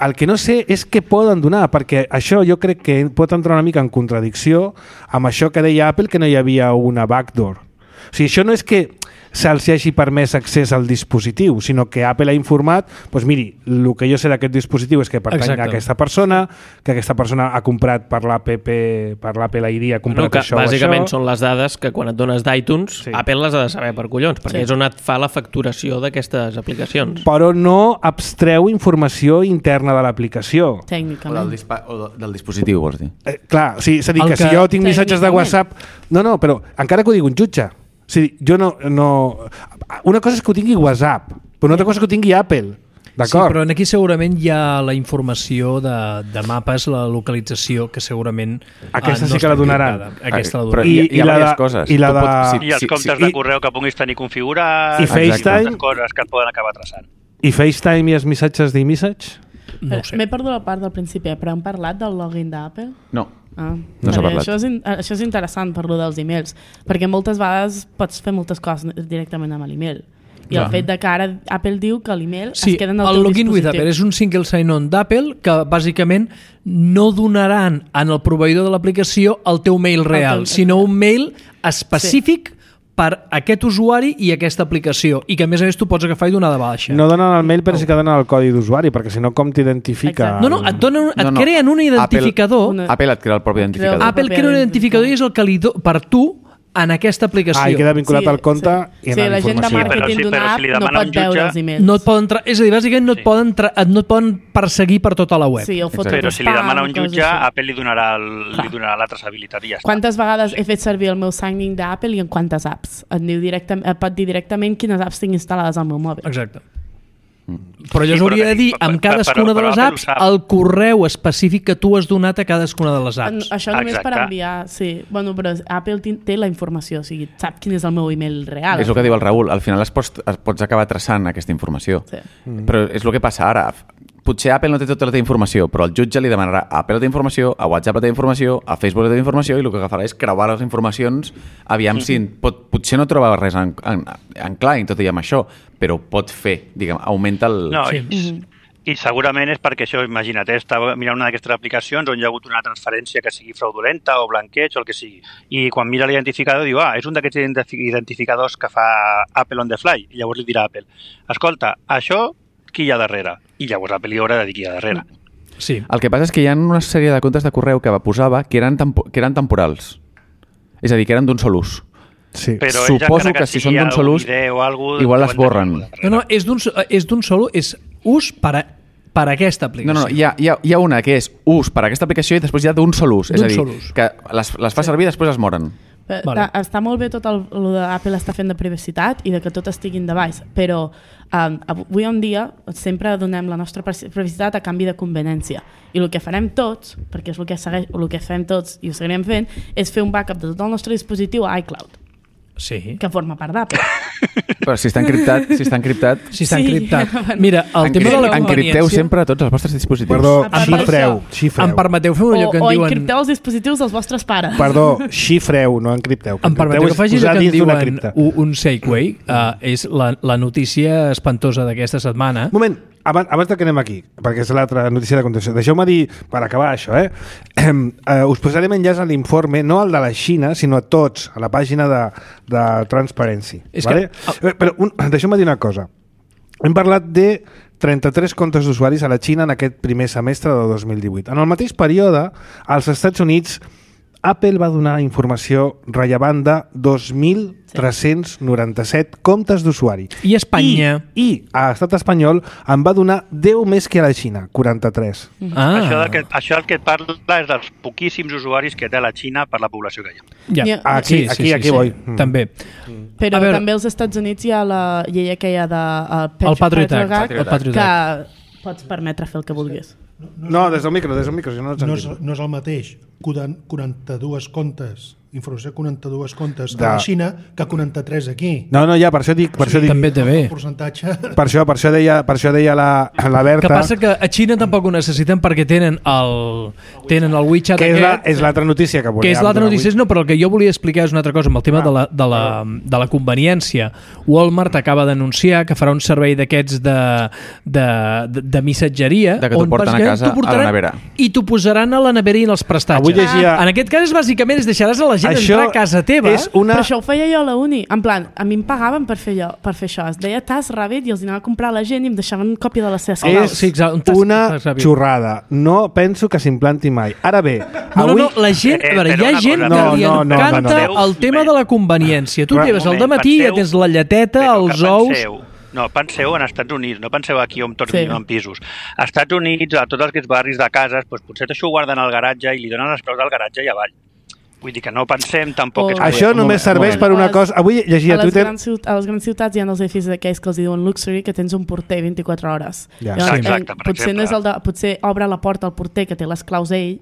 El que no sé és què poden donar, perquè això jo crec que pot entrar una mica en contradicció amb això que deia Apple, que no hi havia una backdoor. O sigui, això no és que se'ls hagi permès accés al dispositiu, sinó que Apple ha informat, doncs miri, el que jo sé d'aquest dispositiu és que pertany Exacte. a aquesta persona, que aquesta persona ha comprat per l'App, per l'Apple I D, ha comprat No, que això o bàsicament això. són les dades que quan et dones d'iTunes, Sí. Apple les ha de saber per collons, perquè Sí. és on et fa la facturació d'aquestes aplicacions. Però no abstreu informació interna de l'aplicació. O del, Tècnicament. dispa o de- del dispositiu, vols dir? Eh, clar, o sigui, és a dir, El que, que- si jo tinc missatges de Tècnicament. WhatsApp... No, no, però encara que ho digui un jutge. O sigui, jo no, no... Una cosa és que ho tingui WhatsApp, però una altra cosa és que ho tingui Apple. sí, D'acord? però aquí segurament hi ha la informació de, de mapes, la localització, que segurament Aquesta eh, sí que està la donaran. encriptada. Aquesta la Però donaran. hi, I- hi, hi i ha la diverses de- coses. i la Tu de- pots- I els comptes i- de correu que puguis tenir configurats, I aquestes FaceTime? coses que et poden acabar traçant. I FaceTime i els missatges d'iMessage? No ho sé. M'he perdut la part del principi, eh, però hem parlat del login d'Apple? No. Ah, No s'ha perquè parlat. Això és, in, això és interessant per lo dels e-mails, perquè moltes vegades pots fer moltes coses directament amb l'email. I Clar. el fet de que ara Apple diu que l'email Sí, es queda en el, el teu login with dispositiu. Apple és un single sign-on d'Apple que bàsicament no donaran en el proveïdor de l'aplicació el teu mail real, teu- sinó un mail específic sí. per aquest usuari i aquesta aplicació, i que a més a més tu pots agafar i donar de baixa. No donen el mail, però sí que donen el codi d'usuari, perquè si no, com t'identifica... Exacte. no, no, et, donen, et No, no. creen un identificador. Una- Apple et crea el propi identificador. Creu- Apple crea un identificador i és el que li do, per tu en aquesta aplicació. Ah, i queda vinculat Sí, al compte sí. i en Sí, la la gent de informació. Però màrqueting sí, d'una però si app li no demana pot un veure jutge, els e-mails. No et poden tra- és a dir, bàsicament no, et Sí. poden tra- no et poden perseguir per tota la web. Sí, o fotre Però si li demana un coses jutge, així. Apple li donarà, el, li donarà la traçabilitat i ja està. Quantes vegades he fet servir el meu signing d'Apple i en quantes apps? Et, diu directe, et pot dir directament quines apps tinc instal·lades al meu mòbil. Exacte. Però allò Sí, s'hauria però de dir per- amb per- cadascuna però- de però les Apple ho apps sap. el correu específic que tu has donat a cadascuna de les En, apps. això només per Exacte. enviar, sí. Bueno, però Apple tin- té la informació, o sigui, sap quin és el meu email real. És el que diu el Raül, al final es pots, es pots acabar traçant aquesta informació. Sí. Mm. Però és el que passa ara. Potser Apple no té tota la teva informació, però el jutge li demanarà a Apple la teva informació, a WhatsApp la teva informació, a Facebook la teva informació, i el que agafarà és creuar les informacions, aviam si pot, potser no troba res en, en, en clar, i tot i amb això, però pot fer, diguem, augmenta el... No, Sí. i, i segurament és perquè això, imagina't, eh, estava mirant una d'aquestes aplicacions on hi ha hagut una transferència que sigui fraudulenta o blanqueig o el que sigui. I quan mira l'identificador diu, ah, és un d'aquests identifi- identificadors que fa Apple on the fly. I llavors li dirà a Apple, escolta, això qui hi ha darrere? I llavors Apple li haurà de dir qui hi ha darrere. Sí. El que passa és que hi ha una sèrie de comptes de correu que posava que eren, tempo, que eren temporals. És a dir, que eren d'un sol ús. Sí. Però ells, Suposo encara que si sigui són d'un sol algun ús, idea o algú, igual les deuen tenir borren. alguna darrere. No, no, és d'un és d'un solo, és ús per a, per a aquesta No, aplicació. no, hi ha, hi, ha, hi ha una que és ús per a aquesta aplicació i després hi ha d'un sol ús. És D'un a dir, sol ús. que les, les fa servir i després es moren. Però, Vale. vale. Està molt bé tot el, el d'Apple està fent de privacitat i de que tot estigui en device, però um, avui en dia sempre donem la nostra privacitat a canvi de conveniència. I el que farem tots, perquè és el que, segueix, el que fem tots i ho seguirem fent, és fer un backup de tot el nostre dispositiu a iCloud, Sí. que forma part d'Apple. Però si està encriptat, si està encriptat, Si està Sí. encriptat. Mira, el tema de la encripteu conveniència... sempre tots els vostres dispositius. Perdó, A part xifreu, d'això, xifreu. Em permeteu fer O, allò que en o diuen... encripteu els dispositius dels vostres pares. Perdó, xifreu, no encripteu. Em permeteu que és faci allò posar que en dins d'una diuen cripta. un, un segway. Uh, és la, la notícia espantosa d'aquesta setmana. Un moment, abans, abans de que anem aquí, perquè és l'altra notícia de continuació, deixeu-me dir, per acabar això, eh? eh, us posarem enllaç a l'informe, no al de la Xina, sinó a tots, a la pàgina de, de Transparency. És vale? que- Eh, Però un, deixeu-me dir una cosa. hem parlat de trenta-tres comptes d'usuaris a la Xina en aquest primer semestre de dos mil divuit. En el mateix període, als Estats Units, Apple va donar informació rellevant de dos mil tres-cents noranta-set comptes d'usuari. I Espanya? I, I a l'estat espanyol en va donar deu més que a la Xina, quaranta-tres. Ah. Això, del que, això del que et parla és dels poquíssims usuaris que té la Xina per la població que hi ha. Ja. Ja. Aquí, aquí, aquí voy. Mm. També. Però A veure- també als Estats Units hi ha la llei aquella de el, El Patriot Act, Act, el Patriot que pots permetre fer el que vulguis. No, des del micro, des del micro, si no ets No és, no és el mateix quaranta-dos comptes, informació quaranta-dos comptes De- a la Xina que quaranta-tres aquí. No, no, ja, per això dic... Per això dic També té bé. El percentatge... per això, per això deia, per això deia la, la Berta... Que passa que a Xina tampoc ho necessiten perquè tenen el, tenen el WeChat que és, la, aquest, és l'altra notícia que volíem. que és l'altra donar notícia, avui. no, però el que jo volia explicar és una altra cosa amb el tema Ah. de, la, de, la, de la conveniència. Walmart acaba d'anunciar que farà un servei d'aquests de, de, de, de missatgeria De que t'ho on porten a bàsicament casa, t'ho portaran a la nevera. i t'ho posaran a la nevera i en els prestatges. Avui llegia- En aquest cas, bàsicament, és deixaràs a la gent Això entrar a casa teva. és una... Però això ho feia jo a la uni. En plan, a mi em pagaven per fer, jo, per fer això. Es deia Task Rabbit i els anava a comprar a la gent i em deixaven còpia de les seves És claus. sí, exacte, un tas- una tas ràpid. xorrada. No penso que s'implanti mai. Ara bé, No, avui... no, no, la gent, Eh, a veure, però hi ha una gent cosa, que no, li no, no, encanta no, no, no. el tema de la conveniència. Tu Però- lleves al moment, dematí, ja penseu- tens la lleteta, Però els que ous... penseu, no, penseu en Estats Units, no penseu aquí on tots Sí. sí. vivim en pisos. A Estats Units, a tots aquests barris de cases, doncs potser això ho guarden al garatge i li donen les claus del garatge i avall. Vull dir que no pensem tampoc... O- que és Això un només moment, serveix un per moment. una cosa... Avui llegia a, a les Twitter... grans, ciut- a les grans ciutats hi ha els edificis aquells que els diuen luxury, que tens un porter vint-i-quatre hores. Ja. Llavors, Sí. Exacte, eh, per potser, no és el de, potser obre la porta al porter que té les claus ell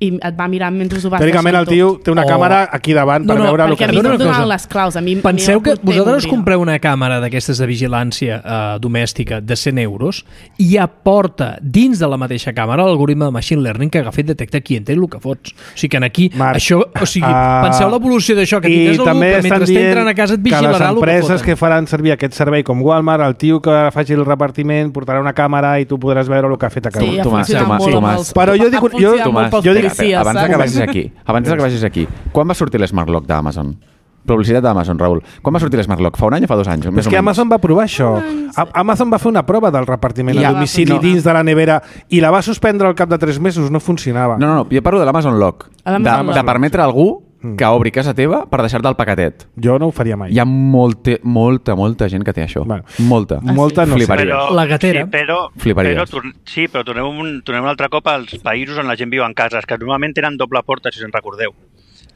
i et va mirant mentre ho vas Teòricament el deixant tio tot. té una O- càmera aquí davant per No, no, veure el Perquè que... a mi Perdona no em una donaven cosa. les claus. A mi, Penseu a mi que el porter vosaltres m'obria. compreu una càmera d'aquestes de vigilància eh, domèstica de cent euros i aporta dins de la mateixa càmera l'algoritme de machine learning que agafa i detecta qui entén el que fots. O sigui que en aquí, Marc, això, o sigui, ah, penseu l'evolució d'això, que i tindràs algú també que estan mentre dient entrant a casa et que les vigilarà el que empreses foten. que faran servir aquest servei com Walmart, el tio que faci el repartiment portarà una càmera i tu podràs veure el que ha fet a casa. Sí, ha Tomàs, funcionat Tomàs, molt amb Tomàs. els- Però jo dic- ha funcionat jo- molt Tomàs, pels jo dic- policies, abans de que saps? vagis aquí, abans de que vagis aquí, quan va sortir l'Smart Lock d'Amazon? Publicitat d'Amazon, Raül. Quan va sortir l'Smart Lock? Fa un any o fa dos anys? És que Amazon va provar això. A- Amazon va fer una prova del repartiment I a ja- domicili no. dins de la nevera i la va suspendre al cap de tres mesos, no funcionava. No, no, no, jo parlo de l'Amazon Lock. A De, l'Amazon de Lock. permetre a algú Mm. que obri casa teva per deixar-te el paquetet. Jo no ho faria mai. Hi ha molta, molta, molta gent que té això. Bueno. Molta. Molta no sé. Fliparies. Però, La gatera. Sí, però, Fliparies. però, tor- sí, però tornem un, tornem un altre cop als països on la gent viu en cases, que normalment tenen doble porta, si us en recordeu.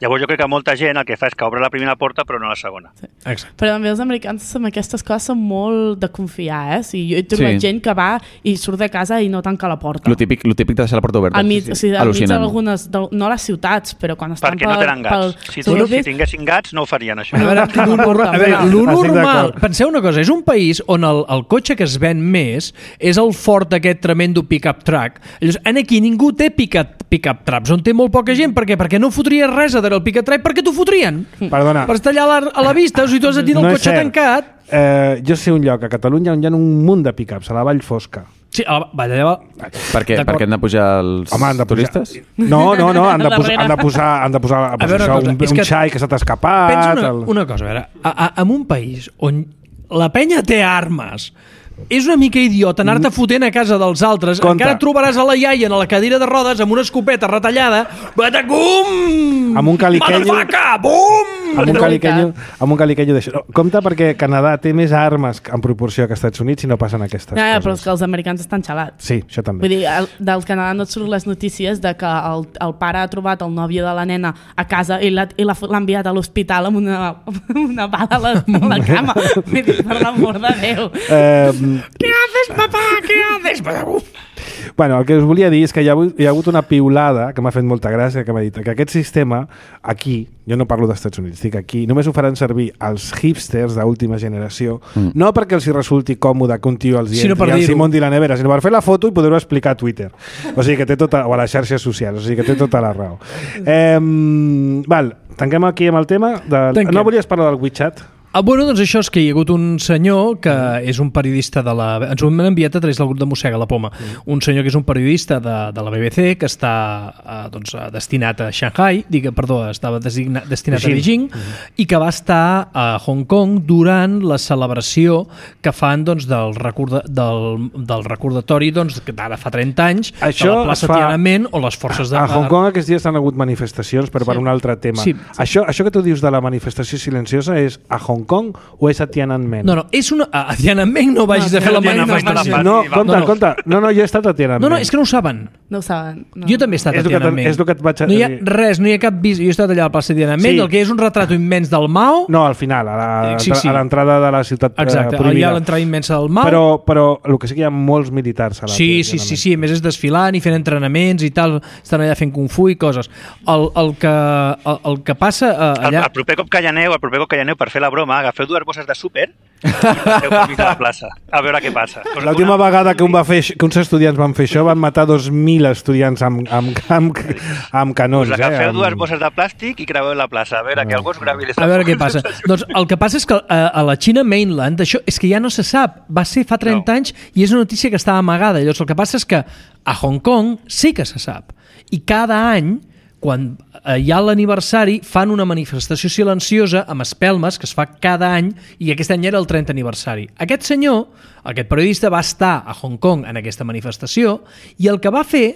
Llavors jo crec que molta gent el que fa és que obre la primera porta però no la segona. Exacte. Però també els americans amb aquestes coses són molt de confiar, eh? O sigui, jo he trobat Sí. gent que va i surt de casa i no tanca la porta. Lo típic, lo típic de deixar la porta oberta. Al mig, Sí, sí. o sigui, al mig Al·lucinant. d'algunes, de, no a les ciutats, però quan estan Perquè no tenen gats. Si, pel si, si tinguessin gats no ho farien això. A veure, lo, nor- a veure, lo Estic normal, d'acord. penseu una cosa, és un país on el, el cotxe que es ven més és el Ford aquest tremendo pick-up truck. Llavors, en aquí ningú té pick-up pick trucks, on té molt poca gent. Per què? Perquè no fotries res a darrere el pick-up truck, perquè t'ho fotrien. Perdona. Per estar allà a la, a la vista, o sigui, tu has de tenir el No és cotxe cert. tancat. Eh, jo sé un lloc a Catalunya on hi ha un munt de pick-ups, a la Vall Fosca. Sí, a la, va, allà, Per què? D'acord. Perquè han de pujar els Home, han de pujar... turistes? No, no, no, han de, posar, Darrere. han de posar, han de posar A pues, veure, això, una cosa, un, és un que xai que se t'ha escapat. pensa una, el... una cosa, a veure, a, a, en un país on la penya té armes, és una mica idiota anar-te fotent a casa dels altres. Compte. Encara trobaràs a la iaia en la cadira de rodes amb una escopeta retallada. Batacum! Amb un caliquenyo. Motherfucker! Bum! Amb un caliquenyo, amb un caliquenyo d'això. No, compte perquè Canadà té més armes en proporció que Estats Units i no passen aquestes Ja, ja, però és coses. que els americans estan xalats. Sí, això també. Vull dir, el, del Canadà no et surten les notícies de que el, el pare ha trobat el nòvio de la nena a casa i l'ha i l'ha l'ha enviat a l'hospital amb una, amb una bala a la, a la cama. Vull dir, per l'amor de Déu. Eh, Què haces, papà? Què haces? Batacum! bueno, el que us volia dir és que hi ha, hagut- hi ha hagut una piulada que m'ha fet molta gràcia, que m'ha dit que aquest sistema, aquí, jo no parlo dels Estats Units, dic aquí, només ho faran servir els hipsters d'última generació, mm. no perquè els hi resulti còmode que un tio els hi Sinó per entri, els hi dir-ho. munti la nevera, sinó per fer la foto i poder-ho explicar a Twitter. O sigui que té tota, o a les xarxes socials, o sigui que té tota la raó. Eh, val, tanquem aquí amb el tema. De... Tanquem. No volies parlar del WeChat? Ah, bueno, doncs això és que hi ha hagut un senyor que és un periodista de la... Ens ho hem enviat a través del grup de Mossega la Poma. Mm. Un senyor que és un periodista de, de la B B C que està eh, doncs, destinat a Shanghai, digue, perdó, estava designa, destinat Beijing. a Beijing mm. i que va estar a Hong Kong durant la celebració que fan doncs, del, recorda, del, del recordatori doncs, que ara fa trenta anys això de la plaça fa... Tiananmen o les forces de... A Hong Kong aquests dies han hagut manifestacions per, sí. per un altre tema. Sí, sí. Això, això que tu dius de la manifestació silenciosa és a Hong Kong o és a Tiananmen? No, no, és una... A Tiananmen no vagis no, a fer la manifestació. No, compte, no, no. compte. No, no, jo he estat a Tiananmen. No, no, és que no ho saben. No ho saben. No. Jo també he estat és a Tiananmen. És el que et vaig a... No hi ha res, no hi ha cap vis... Jo he estat allà a la plaça de Tiananmen, sí. el que és un retrat immens del Mao... No, al final, a, la, sí, sí. a l'entrada de la ciutat Exacte, prohibida. Hi ha l'entrada immensa del Mao. Però, però el que sí que hi ha molts militars a la Sí, sí, sí, sí, a més és desfilant i fent entrenaments i tal, estan allà fent kung fu i coses. El, el, que, el, el que passa allà... El, el proper cop que hi aneu, el proper cop que hi aneu, per fer la broma, agafeu dues bosses de súper i passeu per mig de la plaça, a veure què passa. L'última una... vegada que, un va fer, que uns estudiants van fer això van matar dos mil estudiants amb, amb, amb, amb canons. Us agafeu eh, amb... dues bosses de plàstic i creueu la plaça, a veure, no. que algú us gravi les... A veure què passa. Doncs el que passa és que a, a la China Mainland això és que ja no se sap, va ser fa trenta no. anys i és una notícia que estava amagada. Llavors el que passa és que a Hong Kong sí que se sap i cada any quan hi ha l'aniversari fan una manifestació silenciosa amb espelmes que es fa cada any i aquest any era el trentè aniversari. Aquest senyor, aquest periodista, va estar a Hong Kong en aquesta manifestació i el que va fer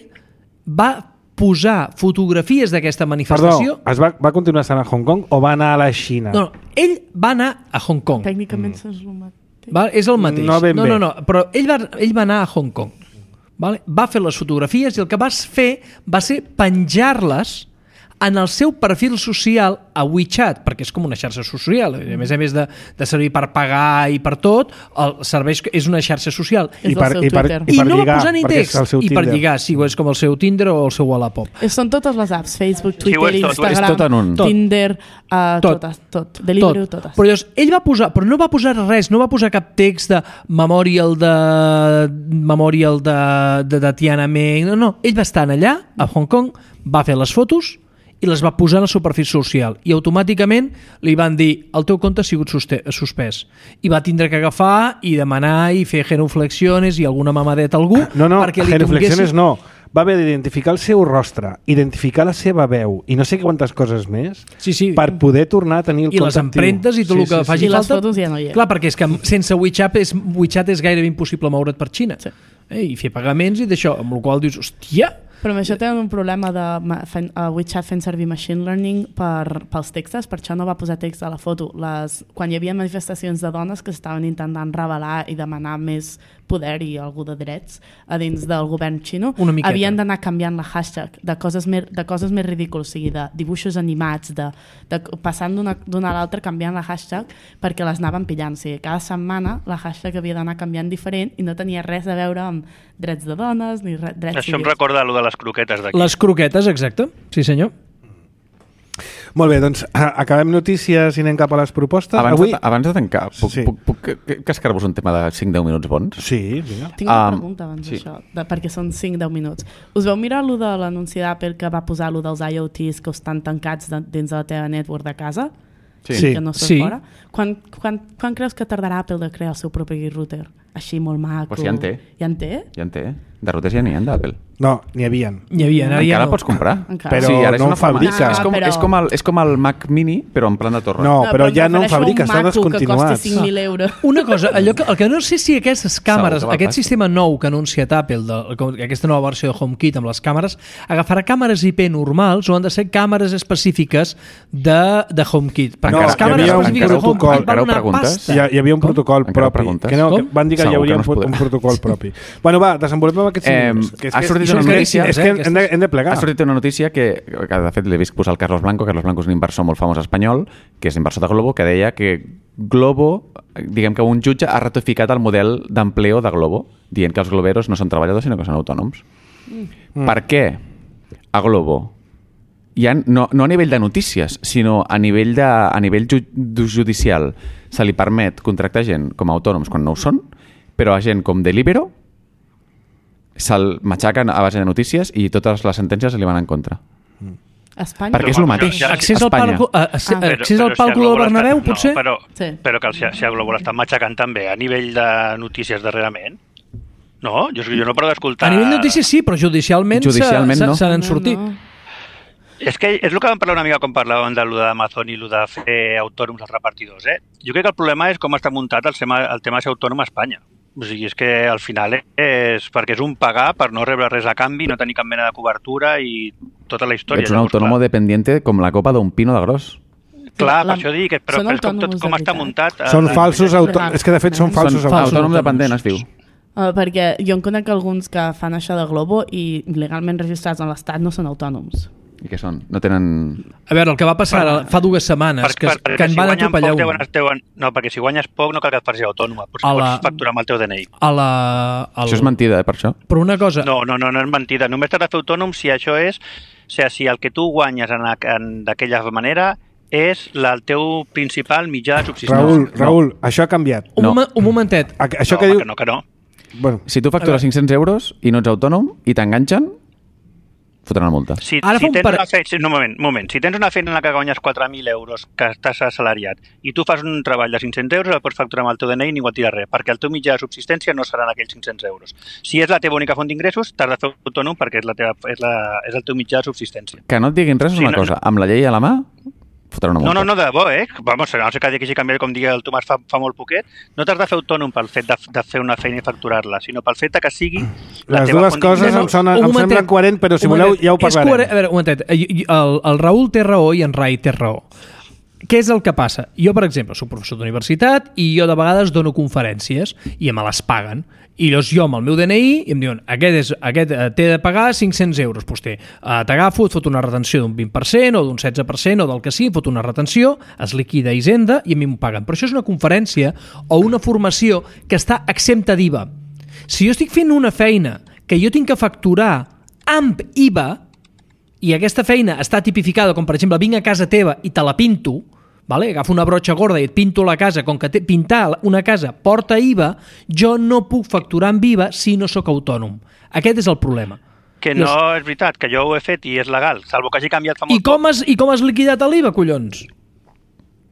va posar fotografies d'aquesta manifestació... Perdó, es va, va continuar estant a Hong Kong o va anar a la Xina? No, no, ell va anar a Hong Kong. Tècnicament mm. és el mateix. Va, és el mateix. No, ben no, bé. no, no, però ell va, ell va anar a Hong Kong. Vale? Va fer les fotografies i el que va fer va ser penjar-les en el seu perfil social a WeChat, perquè és com una xarxa social, a més a més de, de servir per pagar i per tot, el serveix, és una xarxa social. I, per, i, per, i, i per no lligar, va posar ni text, i per lligar, sí, és com el seu Tinder o el seu Wallapop. Són totes les apps, Facebook, Twitter, sí, tot, Instagram, tot en un. Tinder, uh, tot, totes, tot, Deliveroo, tot. totes. Però llavors, ell va posar, però no va posar res, no va posar cap text de Memorial de Memorial de, de, de Tiananmen, no, no, ell va estar allà, a Hong Kong, va fer les fotos i les va posar en el seu perfil social i automàticament li van dir el teu compte ha sigut suspès i va tindre que agafar i demanar i fer genuflexiones i alguna mamadeta a algú no, no, perquè li genuflexiones tinguessin... no, va haver d'identificar el seu rostre, identificar la seva veu i no sé quantes coses més sí, sí. per poder tornar a tenir el i compte les empremtes i tot sí, el que sí, faci sí. falta. I les fotos ja no hi ha. Clar, perquè és que sense WeChat és, WeChat és gairebé impossible moure't per Xina sí. eh, i fer pagaments i d'això, amb el qual dius, hòstia. Però amb això tenen un problema de fent, uh, WeChat fent servir machine learning per, pels textos, per això no va posar text a la foto. Les, quan hi havia manifestacions de dones que estaven intentant revelar i demanar més poder i algú de drets a dins del govern xino, havien d'anar canviant la hashtag de coses més, de coses més ridícules, o sigui, de dibuixos animats, de, de, passant d'una a l'altra canviant la hashtag perquè les anaven pillant. O sigui, cada setmana la hashtag havia d'anar canviant diferent i no tenia res a veure amb drets de dones ni re, drets Això civils. Em recorda allò de les croquetes d'aquí. Les croquetes, exacte. Sí, senyor. Molt bé, doncs acabem notícies i anem cap a les propostes. Abans, Avui... de, abans de tancar, puc, sí. puc, puc, puc cascar-vos un tema de cinc deu minuts bons? Sí, vinga. Tinc una um, pregunta abans sí. d'això, de, perquè són cinc deu minuts. Us veu mirar allò de l'anunci d'Apple que va posar allò dels I O Ts que estan tancats de, dins de la teva network de casa? Sí. sí. Que no sí. fora? Quan, quan, quan creus que tardarà Apple de crear el seu propi router? Així molt maco. Pues ja en té. Ja en té? Ja en té. De routers ja n'hi ha d'Apple. No, n'hi havia. N'hi havia, Encara ja la no. pots comprar. Encara. Però sí, ara no en fabrica. Ah, és, com, però... és, com el, és com el Mac Mini, però en plan de torre. No, no però, però ja no en fabrica, està descontinuat. Que costi cinc mil euros. Una cosa, allò que, el que no sé si aquestes càmeres, Segur que aquest sistema nou que ha anunciat Apple, de, aquesta nova versió de HomeKit amb les càmeres, agafarà càmeres I P normals o han de ser càmeres específiques de, de HomeKit? Perquè no, les càmeres específiques de HomeKit van donar pasta. Hi, hi havia un protocol encara propi. Que no, que van dir que Segur hi hauria no un, un protocol propi. Bueno, va, desenvolupem aquests eh, minuts. Que és, ha que sortit és, una notícia... És que hem de, hem de plegar. Ha sortit una notícia que, que de fet, l'he vist posar el Carlos Blanco. Carlos Blanco és un inversor molt famós espanyol, que és inversor de Globo, que deia que Globo, diguem que un jutge ha ratificat el model d'empleo de Globo, dient que els globeros no són treballadors, sinó que són autònoms. Mm. Per què a Globo ja no, no a nivell de notícies, sinó a nivell, de, a nivell ju, judicial se li permet contractar gent com a autònoms quan no ho són, però a gent com Deliveroo se'l matxaquen a base de notícies i totes les sentències se li van en contra. Espanya? Perquè és el mateix. Accés al Espanya. palco, a, a, Ah. a, accés al palco del Bernabéu, potser? No, però, Sí. però que el, si a Globo l'estan matxacant també a nivell de notícies darrerament. No? Jo, jo no paro d'escoltar... A nivell de notícies sí, però judicialment, Judicialment se, no. se, se n'han No, sortit. no. És que és el que vam parlar una mica quan parlàvem de lo d'Amazon i lo de fer autònoms als repartidors. Eh? Jo crec que el problema és com està muntat el tema, el tema de ser autònom a Espanya. O sigui, és que al final és perquè és un pagar per no rebre res a canvi, no tenir cap mena de cobertura i tota la història. Ets un Llavors, autònomo clar, dependiente com la copa d'un pino de gros. Clar, per La- això dic, però, són però és com, tot, autònoms com de està veritat. muntat. eh, Són la- falsos Ah. autònoms. És que de fet són falsos Són autònoms. autònom dependent, es diu. Uh, perquè jo en conec alguns que fan això de Globo i legalment registrats en l'Estat no són autònoms. I què són? No tenen... A veure, el que va passar ara, fa dues setmanes, que, per, que en si van guanyen atropellar poc, un. deuen, deuen, no, perquè si guanyes poc no cal que et facis autònoma, pots, A la- pots facturar amb el teu D N I. A la, al... Això és mentida, eh, per això. Però una cosa... No, no, no, no és mentida. Només t'has de fer autònom si això és... O sigui, si el que tu guanyes en, en, d'aquella manera és la, el teu principal mitjà de subsistència. Raül, Raül, això ha canviat. Un, No. moment, un momentet. A- Això no, que home, diu... que no, que no. Bueno, Si tu factures cinc-cents euros i no ets autònom i t'enganxen, fotran la multa. Si, Ara fa si un tens par- una feina, sí, no, un moment, un moment. Si tens una feina en la que guanyes quatre mil euros, que estàs assalariat, i tu fas un treball de cinc-cents euros, el pots facturar amb el teu D N I i ningú et dirà res, perquè el teu mitjà de subsistència no seran aquells cinc-cents euros. Si és la teva única font d'ingressos, t'has de fer autònom perquè és, la teva, és, la, és el teu mitjà de subsistència. Que no et diguin res és Sí, una no, cosa. Amb la llei a la mà, fotran una No, multa. no, no, de debò, eh? Vamos, no sé que hagi canviat, com digui el Tomàs fa, fa molt poquet, no t'has de fer autònom pel fet de, de fer una feina i facturar-la, sinó pel fet de que sigui la les teva dues font coses d'ingressos. em, sonen, Un em momentet. semblen coherent, però si Un voleu momentet. ja ho És parlarem. coherent- A veure, un momentet. El, el Raül té raó i en Rai té raó. Què és el que passa? Jo, per exemple, soc professor d'universitat i jo de vegades dono conferències i me les paguen. I llavors jo amb el meu D N I i em diuen aquest, és, aquest eh, té de pagar cinc-cents euros. Doncs té, eh, t'agafo, et fot una retenció d'un vint per cent o d'un setze per cent o del que sigui, em fot una retenció, es liquida a Hisenda i a mi m'ho paguen. Però això és una conferència o una formació que està exempta d'I V A. Si jo estic fent una feina que jo tinc que facturar amb I V A, i aquesta feina està tipificada com, per exemple, vinc a casa teva i te la pinto, vale? Agafo una brotxa gorda i et pinto la casa, com que te, pintar una casa porta I V A, jo no puc facturar amb I V A si no sóc autònom. Aquest és el problema. Que no és veritat, que jo ho he fet i és legal, salvo que hagi canviat fa I molt com has, i com has liquidat l'I V A, collons?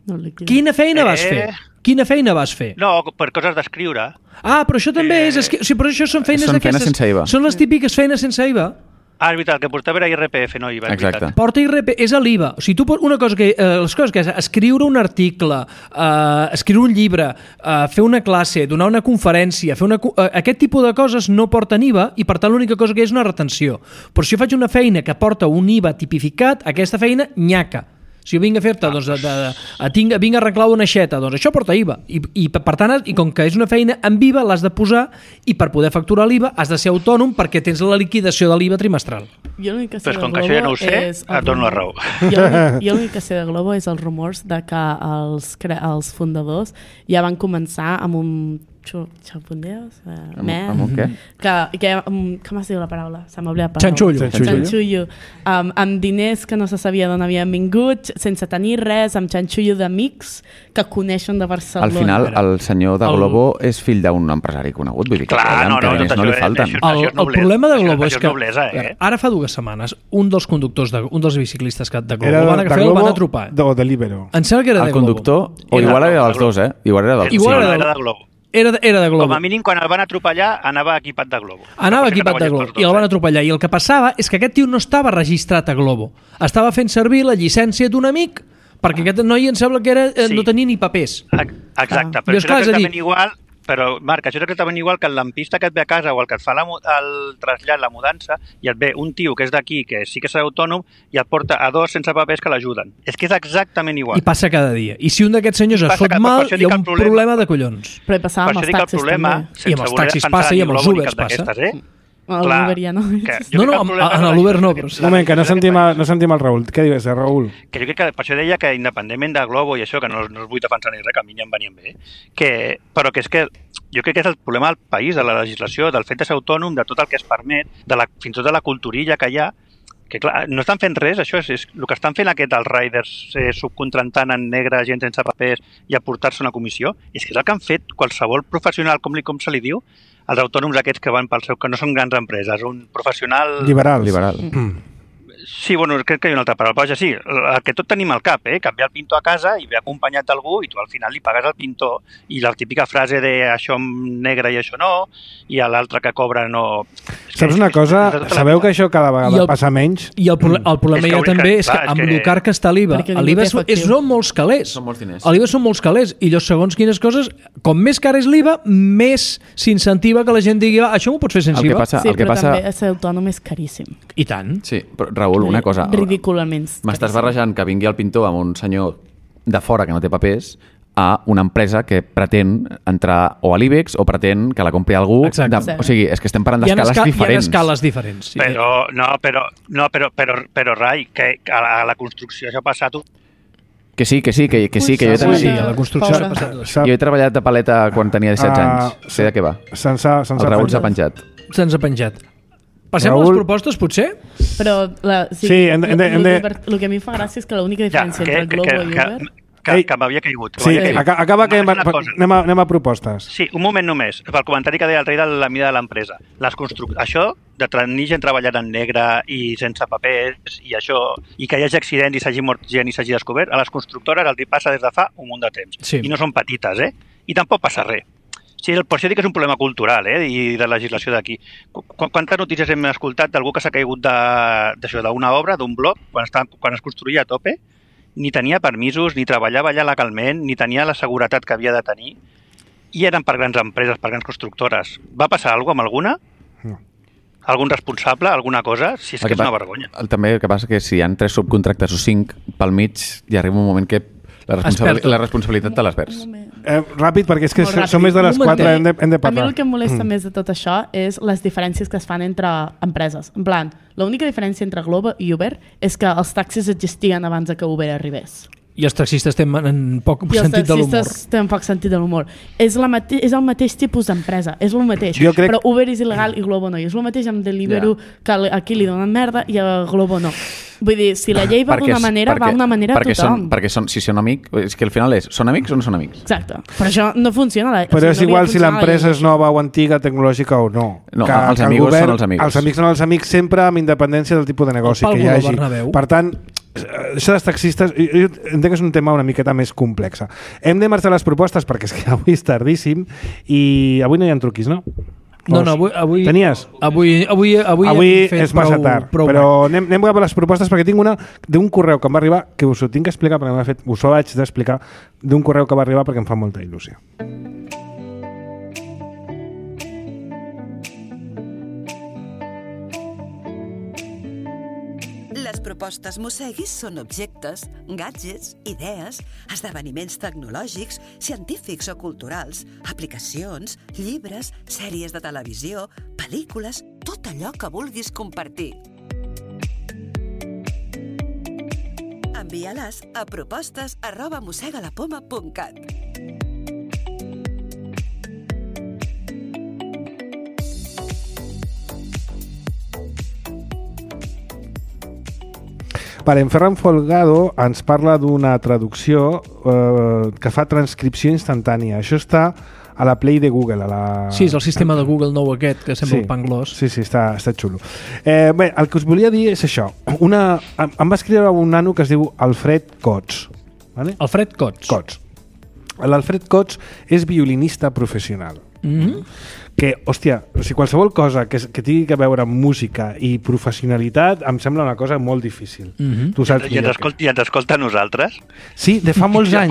No liquida. Quina feina vas Eh. fer? Quina feina vas fer? No, per coses d'escriure. Ah, però això també Eh, és... esqui- O sigui, però això són feines són feines d'aquestes- sense I V A. Són les típiques feines sense I V A. Ah, és veritat, el que portava era I R P F, no I V A, és Exacte. veritat. Porta I R P, és a l'I V A. O sigui, tu pots, una cosa que, eh, les coses que és escriure un article, eh, escriure un llibre, eh, fer una classe, donar una conferència, fer una, co- eh, aquest tipus de coses no porten I V A i per tant l'única cosa que és una retenció. Però si jo faig una feina que porta un I V A tipificat, aquesta feina nyaca. Si jo vinc a fer-te, doncs, de, de, de, tinc, vinc a arreglar una aixeta, doncs això porta I V A. I, i per tant, i com que és una feina amb I V A, l'has de posar i per poder facturar l'I V A has de ser autònom perquè tens la liquidació de l'I V A trimestral. Jo l'únic que sé Però és de com que Globo això ja no ho sé, és... et dono la raó. Jo l'únic- jo l'únic que sé de Globo és els rumors de que els, cre- els fundadors ja van començar amb un xu- xapundeos, eh, Amb- meh, amb un què? que, que um, com es diu la paraula? Se m'ha oblidat la paraula. Xanxullo. Xanxullo. Xanxullo. Um, amb diners que no se sabia d'on havien vingut, sense tenir res, amb xanxullo d'amics que coneixen de Barcelona. Al final, el senyor de El- Globo és fill d'un empresari conegut. Vull dir que Clar, no, no, diners tot no li això és- falten. això- El, és el noblesa. problema de Això- Globo això és és que noblesa, eh? ara fa dues setmanes un dels conductors, de, un dels biciclistes que de Globo Era van de agafar i el Globo van atropar. o de Libero. Em sembla que era El de Globo. conductor, o Era igual de era Globo, dels dos, eh? Igual era dels Igual dos. era era del- de Globo. Era de, era de Globo. Com a mínim, quan el van atropellar, anava equipat de Globo. Anava Potser que equipat de treballes Globo pels dos, i el van eh? atropellar. I el que passava és que aquest tio no estava registrat a Globo. Estava fent servir la llicència d'un amic perquè aquest noi em sembla que era, eh, Sí. no tenia ni papers. Ex- Exacte, Ah. però Dius, això clar, és és a dir- exactament igual. Però, Marc, això és exactament igual que el lampista que et ve a casa o el que et fa la, mu- el trasllat, la mudança, i et ve un tio que és d'aquí, que sí que serà autònom, i et porta a dos sense papers que l'ajuden. És que és exactament igual. I passa cada dia. I si un d'aquests senyors I es passa fot cada- mal, per això hi dic ha el un problema. problema de collons. Però hi passava Per amb això els dic que el taxis problema, també. sense I amb els voler taxis defensar passa i ni amb els Globo ni Ubers cap passa. d'aquestes, Eh? El Clar, Uber ja no. que jo No, crec no, que el amb- problema en és la l'Uber no, legislació- però sí. Un moment, que no la sentim, legislació a, no sentim el Raül. Què dius, eh, Raül? que jo crec que per això deia que independentment de Globo i això, que no, no us vull defensar ni res, que a mi ja em venien bé, que, però que és que jo crec que és el problema del país, de la legislació, del fet de ser autònom, de tot el que es permet, de la, fins i tot de la culturilla que hi ha, que clar, no estan fent res, això és, és el que estan fent aquest els riders eh, subcontratant en negre gent sense papers i aportar-se una comissió, és que és el que han fet qualsevol professional, com, li, com se li diu, els autònoms aquests que van pel seu, que no són grans empreses, un professional... Liberals. Liberal. Sí, bueno, crec que hi ha una altra paraula. Però, sí, el que tot tenim al cap, eh? Canviar el pintor a casa i ve acompanyat d'algú i tu al final li pagues al pintor. I la típica frase de això negre i això no, i a l'altre que cobra no... Saps una cosa? Sabeu que això cada vegada passa menys? I el, pro el problema ja també és que amb el car que està l'I V A, l'I V A són molts calés. Són molts diners. L'I V A són molts calés i llavors, segons quines coses, com més car és l'I V A, més s'incentiva que la gent digui això m'ho pots fer sense I V A. Sí, però també ser autònom és caríssim. I tant. Sí, però Raül, una cosa. Ridículament. M'estàs barrejant que vingui el pintor amb un senyor de fora que no té papers a una empresa que pretén entrar o a l'IBEX o pretén que la compri algú. De, o sigui, és que estem parlant d'escales esca diferents. Hi ha escales diferents. Sí. Però, no, però, no, però, però, però Rai, que a la, a la construcció això ha passat... Que sí, que sí, que, que sí, que jo també... Sí, a la construcció s'ha passat. Jo he treballat de paleta quan tenia disset anys. Sé de què va. El Raül s'ha penjat. Se'ns ha penjat. Passem Raül... a les propostes, potser? Però la, sí, sí, hem de, hem de, hem de... el que a mi em fa gràcia és que l'única diferència ja, que, entre el Globo que, que, i Uber... Que, que, que m'havia caigut. Que sí, caigut. acaba que anem a, anem, a, anem a propostes. Sí, un moment només. Pel comentari que deia el rei de la mida de l'empresa. Això, de tenir gent treballant en negre i sense papers i això, i que hi hagi accidents i s'hagi mort gent i s'hagi descobert, a les constructores els passa des de fa un munt de temps. Sí. I no són petites, eh? I tampoc passa res. Sí, per això dic que és un problema cultural eh, i de legislació d'aquí. Qu Quantes notícies hem escoltat d'algú que s'ha caigut d'una obra, d'un bloc, quan, està, quan es construïa a tope, ni tenia permisos, ni treballava allà legalment, ni tenia la seguretat que havia de tenir, i eren per grans empreses, per grans constructores. Va passar alguna cosa amb alguna? No. Algun responsable, alguna cosa? Si és que, que és una vergonya. El, també el que passa que si hi ha tres subcontractes o cinc, pel mig hi arriba un moment que la, responsabili la responsabilitat te l'has vers. Eh, ràpid, perquè és que som més de les quatre, hem de, hem de parlar. A mi el que em molesta mm. més de tot això és les diferències que es fan entre empreses. En plan, l'única diferència entre Globo i Uber és que els taxis existien abans que Uber arribés. I els taxistes tenen poc I sentit de l'humor. I els taxistes tenen poc sentit de l'humor. És, és el mateix tipus d'empresa, és el mateix. Crec... Però Uber és il·legal i Globo no. I és el mateix amb Deliveroo, yeah. que aquí li donen merda i a Globo no. Vull dir, si la llei va d'una manera, perquè, va d'una manera a perquè tothom. Són, perquè són, si són amics, és que al final és, són amics o no són amics? Exacte. Però això no funciona. La, Però o sigui, és no igual si l'empresa és nova o antiga, tecnològica o no. No, que, els que amics el govern, són els amics. Els amics són els amics sempre amb independència del tipus de negoci que hi hagi. Per tant, això dels taxistes, jo entenc que és un tema una miqueta més complex. Hem de marxar les propostes perquè és que avui és tardíssim i avui no hi ha truquis, no? No, no, avui... avui Tenies? Avui, avui, avui, avui és massa prou, tard, prou però anem, anem a les propostes perquè tinc una d'un correu que em va arribar, que us ho tinc que explicar perquè m'ha fet, us ho vaig d'explicar, d'un correu que va arribar perquè em fa molta il·lusió. Les propostes Mosseguis són objectes, gadgets, idees, esdeveniments tecnològics, científics o culturals, aplicacions, llibres, sèries de televisió, pel·lícules, tot allò que vulguis compartir. Envia-les a propostes arroba mossegalapoma punt cat. Vale, en Ferran Folgado ens parla d'una traducció eh, que fa transcripció instantània. Això està a la Play de Google. A la... Sí, és el sistema de Google nou aquest, que sembla sí, un panglós. Sí, sí, està, està xulo. Eh, bé, el que us volia dir és això. Una, em va escriure un nano que es diu Alfred Cots. Vale? Alfred Cots. Cots. L'Alfred Cots és violinista professional. Mm-hmm. Que, hòstia, o sigui, qualsevol cosa que, que tingui que veure amb música i professionalitat em sembla una cosa molt difícil. Mm-hmm. Tu saps I, ens escolta, I ens escolta a nosaltres? Sí, de fa molts anys.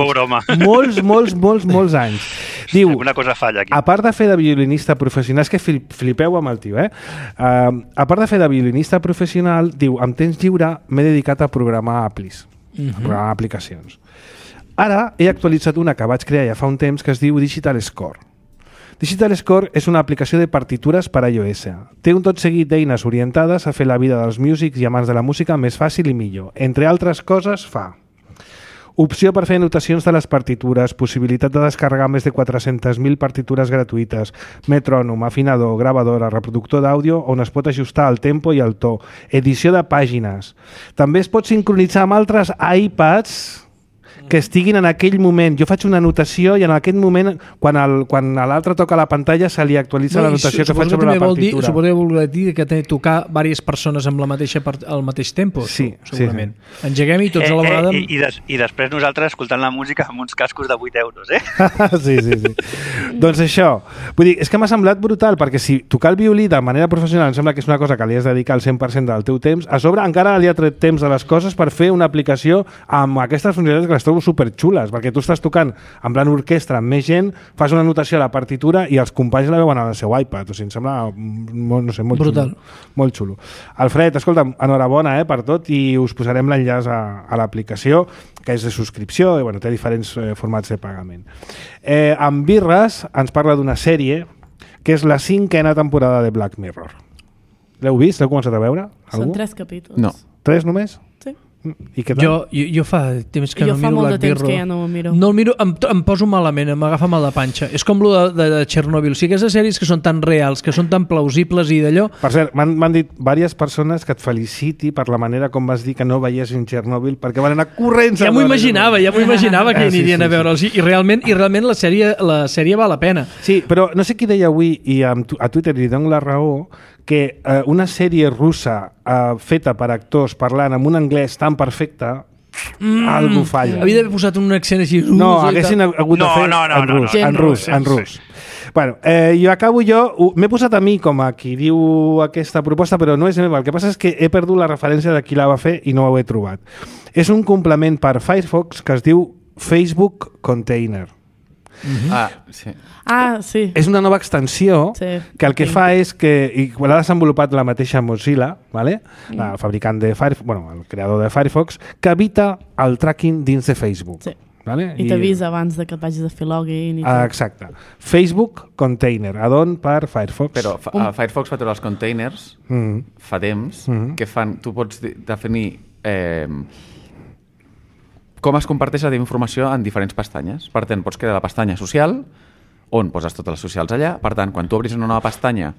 Molts, molts, molts, molts anys. Diu, alguna cosa falla aquí. A part de fer de violinista professional, és que flipeu amb el tio, eh? Uh, a part de fer de violinista professional, diu, amb temps lliure m'he dedicat a programar aplis, mm-hmm. a programar aplicacions. Ara he actualitzat una que vaig crear ja fa un temps que es diu Digital Score. Digital Score és una aplicació de partitures per a iOS. Té un tot seguit d'eines orientades a fer la vida dels músics i amants de la música més fàcil i millor. Entre altres coses fa opció per fer anotacions de les partitures, possibilitat de descarregar més de quatre-centes mil partitures gratuïtes, metrònom, afinador, gravadora, reproductor d'àudio on es pot ajustar el tempo i el to, edició de pàgines. També es pot sincronitzar amb altres iPads que estiguin en aquell moment. Jo faig una anotació i en aquest moment, quan, el, quan l'altre toca la pantalla, se li actualitza no, l'anotació que faig sobre la partitura. Dir, suposo que vol dir que té tocar diverses persones amb la mateixa part, al mateix tempo, sí, segurament. Sí, sí. Engeguem i tots eh, a la vegada... Eh, i, i, des, I després nosaltres escoltant la música amb uns cascos de vuit euros, eh? sí, sí, sí. Doncs això, vull dir, és que m'ha semblat brutal, perquè si tocar el violí de manera professional em sembla que és una cosa que li has de dedicar el cent per cent del teu temps, a sobre encara li ha tret temps de les coses per fer una aplicació amb aquestes funcionalitats que les trobo superxules, perquè tu estàs tocant en plan orquestra amb més gent, fas una anotació a la partitura i els companys la veuen al seu iPad. O sigui, em sembla molt, no sé, molt brutal. Xulo. Molt xulo. Alfred, escolta, enhorabona eh, per tot i us posarem l'enllaç a, a l'aplicació, que és de subscripció i bueno, té diferents eh, formats de pagament. Eh, amb Birres ens parla d'una sèrie que és la cinquena temporada de Black Mirror. L'heu vist? L'heu començat a veure? Algú? Són tres capítols. No. Tres només? Sí. I què tal? Jo, jo, jo fa temps que jo no fa miro molt Black de temps Mirror. que ja no ho miro. No el miro, em, em poso malament, m'agafa mal de panxa. És com lo de, de, de Chernobyl. O sigui, aquestes sèries que són tan reals, que són tan plausibles i d'allò... Per cert, m'han dit diverses persones que et feliciti per la manera com vas dir que no veiessin Chernobyl, perquè van anar corrents... Ja m'ho imaginava, ja m'ho imaginava que ah, sí, anirien sí, a veure'ls. Sí. I realment, i realment la, sèrie, la sèrie val la pena. Sí, però no sé qui deia avui, i a Twitter li dono la raó, que eh, una sèrie russa eh, feta per actors parlant amb un anglès tan perfecte, mm, algú falla. Havia d'haver posat un accent així... No, haguessin hagut de no, fer no, no, en no, rus, no, en no, rus, no, en no, rus. Bueno, eh, jo acabo jo, m'he posat a mi com a qui diu aquesta proposta, però no és meva. El que passa és que he perdut la referència de qui la va fer i no ho he trobat. És un complement per Firefox que es diu Facebook Container. Mm-hmm. Ah, sí. Ah, sí. És una nova extensió sí. que el que sí. fa és que, i l'ha desenvolupat la mateixa Mozilla, ¿vale? Mm. El fabricant de Firefox, bueno, el creador de Firefox, que evita el tracking dins de Facebook. Sí. ¿Vale? I, I t'avisa abans de que et vagis a fer login. I ah, exacte. Facebook Container, add-on per Firefox. Però fa, um. Firefox fa treure els containers mm. fa temps mm. que fan, tu pots definir eh, com es comparteix la teva informació en diferents pestanyes. Per tant, pots crear la pestanya social, on poses totes les socials allà. Per tant, quan tu obris una nova pestanya,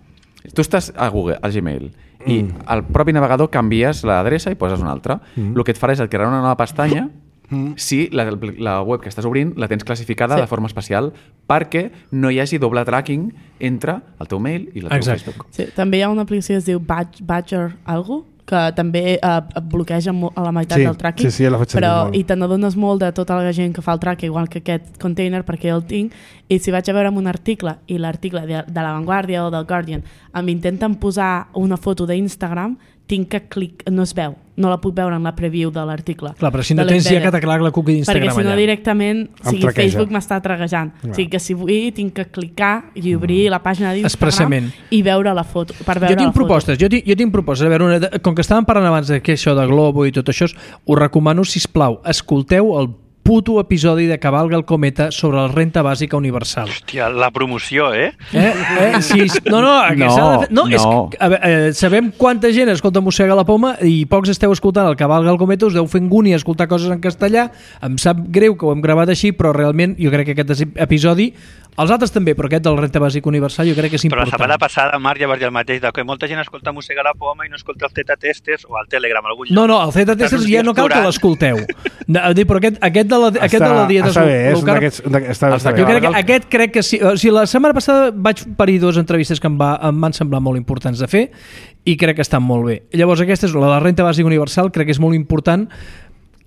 tu estàs a Google, al Gmail, mm. i al propi navegador canvies l'adreça i poses una altra. Mm. El que et farà és crear una nova pestanya mm. si la, la web que estàs obrint la tens classificada sí. de forma especial perquè no hi hagi doble tracking entre el teu mail i el teu Exacte. Facebook. Sí, també hi ha una aplicació que es diu Badger, Badger algo, que també eh, bloqueja a la meitat sí, del tracking, sí, sí, la però i te n'adones molt de tota la gent que fa el tracking, igual que aquest container, perquè el tinc, i si vaig a veure un article, i l'article de, de La Vanguardia o del Guardian em intenten posar una foto d'Instagram, tinc que clic, no es veu, no la puc veure en la preview de l'article. Clar, però si no tens ja que t'aclar la cookie d'Instagram allà. Perquè si no directament, o sigui, traqueja. Facebook m'està traguejant. Clar. O sigui que si vull, tinc que clicar i obrir mm. la pàgina d'Instagram expressament i veure la foto. Per veure jo tinc la propostes, foto. jo tinc, jo tinc propostes. A veure, una, com que estàvem parlant abans de que això de Globo i tot això, us recomano, sisplau, escolteu el puto episodi de Cavalga el Cometa sobre la renta bàsica universal. Hòstia, la promoció, eh? Eh? eh? Sí, no, no, que no, s'ha de fer... no, no. És que, a veure, eh, sabem quanta gent escolta Mossega la Poma i pocs esteu escoltant el Cavalga el Cometa, us deu fer ngúnia escoltar coses en castellà. Em sap greu que ho hem gravat així, però realment jo crec que aquest episodi, els altres també, però aquest de la renta bàsica universal jo crec que és important. Però la setmana passada, Marc, ja vas dir el mateix, que molta gent escolta Mossega la Poma i no escolta el Zeta Testers o el Telegram. Algun no, no, el Zeta Testers ja no cal que l'escolteu. No, però aquest, aquest, de la, aquest de la dieta està bé, és low carb, d'aquests, està, està jo bé. crec que aquest crec que sí. O sigui, la setmana passada vaig parir dues entrevistes que em, va, em van semblar molt importants de fer i crec que estan molt bé. Llavors aquesta és la de la renta bàsica universal, crec que és molt important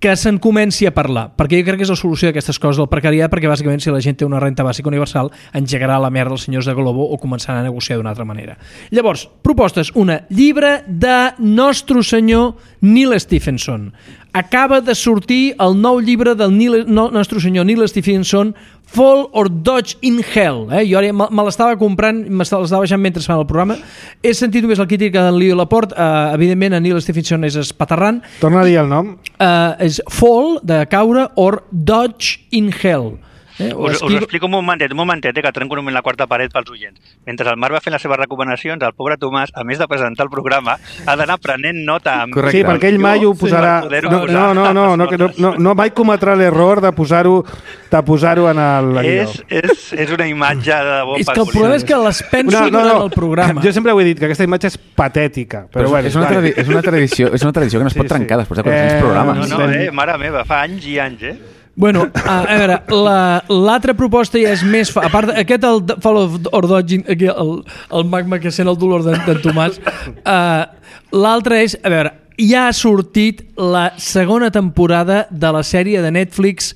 que se'n comenci a parlar, perquè jo crec que és la solució d'aquestes coses del precariat, perquè bàsicament si la gent té una renta bàsica universal engegarà la merda els senyors de Globo o començaran a negociar d'una altra manera. Llavors, propostes. Una, llibre de Nostre Senyor Neil Stephenson. Acaba de sortir el nou llibre del Neil, no, Nostre Senyor Neil Stephenson, Fall or Dodge in Hell. Eh? Jo ara me, me l'estava comprant, me l'estava baixant mentre fan el programa. He sentit només la crítica d'en Leo Laporte. Uh, evidentment, en Neil Stephenson és espaterrant. Torna a dir el nom. Uh, és Fall, de caure, or Dodge in Hell. Eh? Us, esquiva... us explico un momentet, un momentet, eh, que trenco un moment la quarta paret pels oients. Mentre el Marc va fent les seves recomanacions, el pobre Tomàs, a més de presentar el programa, ha d'anar prenent nota. Amb... Sí, perquè ell mai ho posarà... Sí, no, no, no, no, no, no, no, no mai cometrà l'error de posar-ho de posar-ho en el... És, és, és una imatge de bon És que el problema és que les penso no, no, no. durant el programa. Jo sempre ho he dit, que aquesta imatge és patètica. Però, però bueno, és, una tradi- és, una tradició, és una tradició que no es pot sí, trencar sí. després de quaranta-cinc eh, programes. No, no, eh, mare meva, fa anys i anys, eh? Bueno, a, a veure, l'altra la, proposta ja és més... Fa, a part, aquest, el Fall of Ordogin, el, el magma que sent el dolor d'en Tomàs, uh, l'altre és... A veure, ja ha sortit la segona temporada de la sèrie de Netflix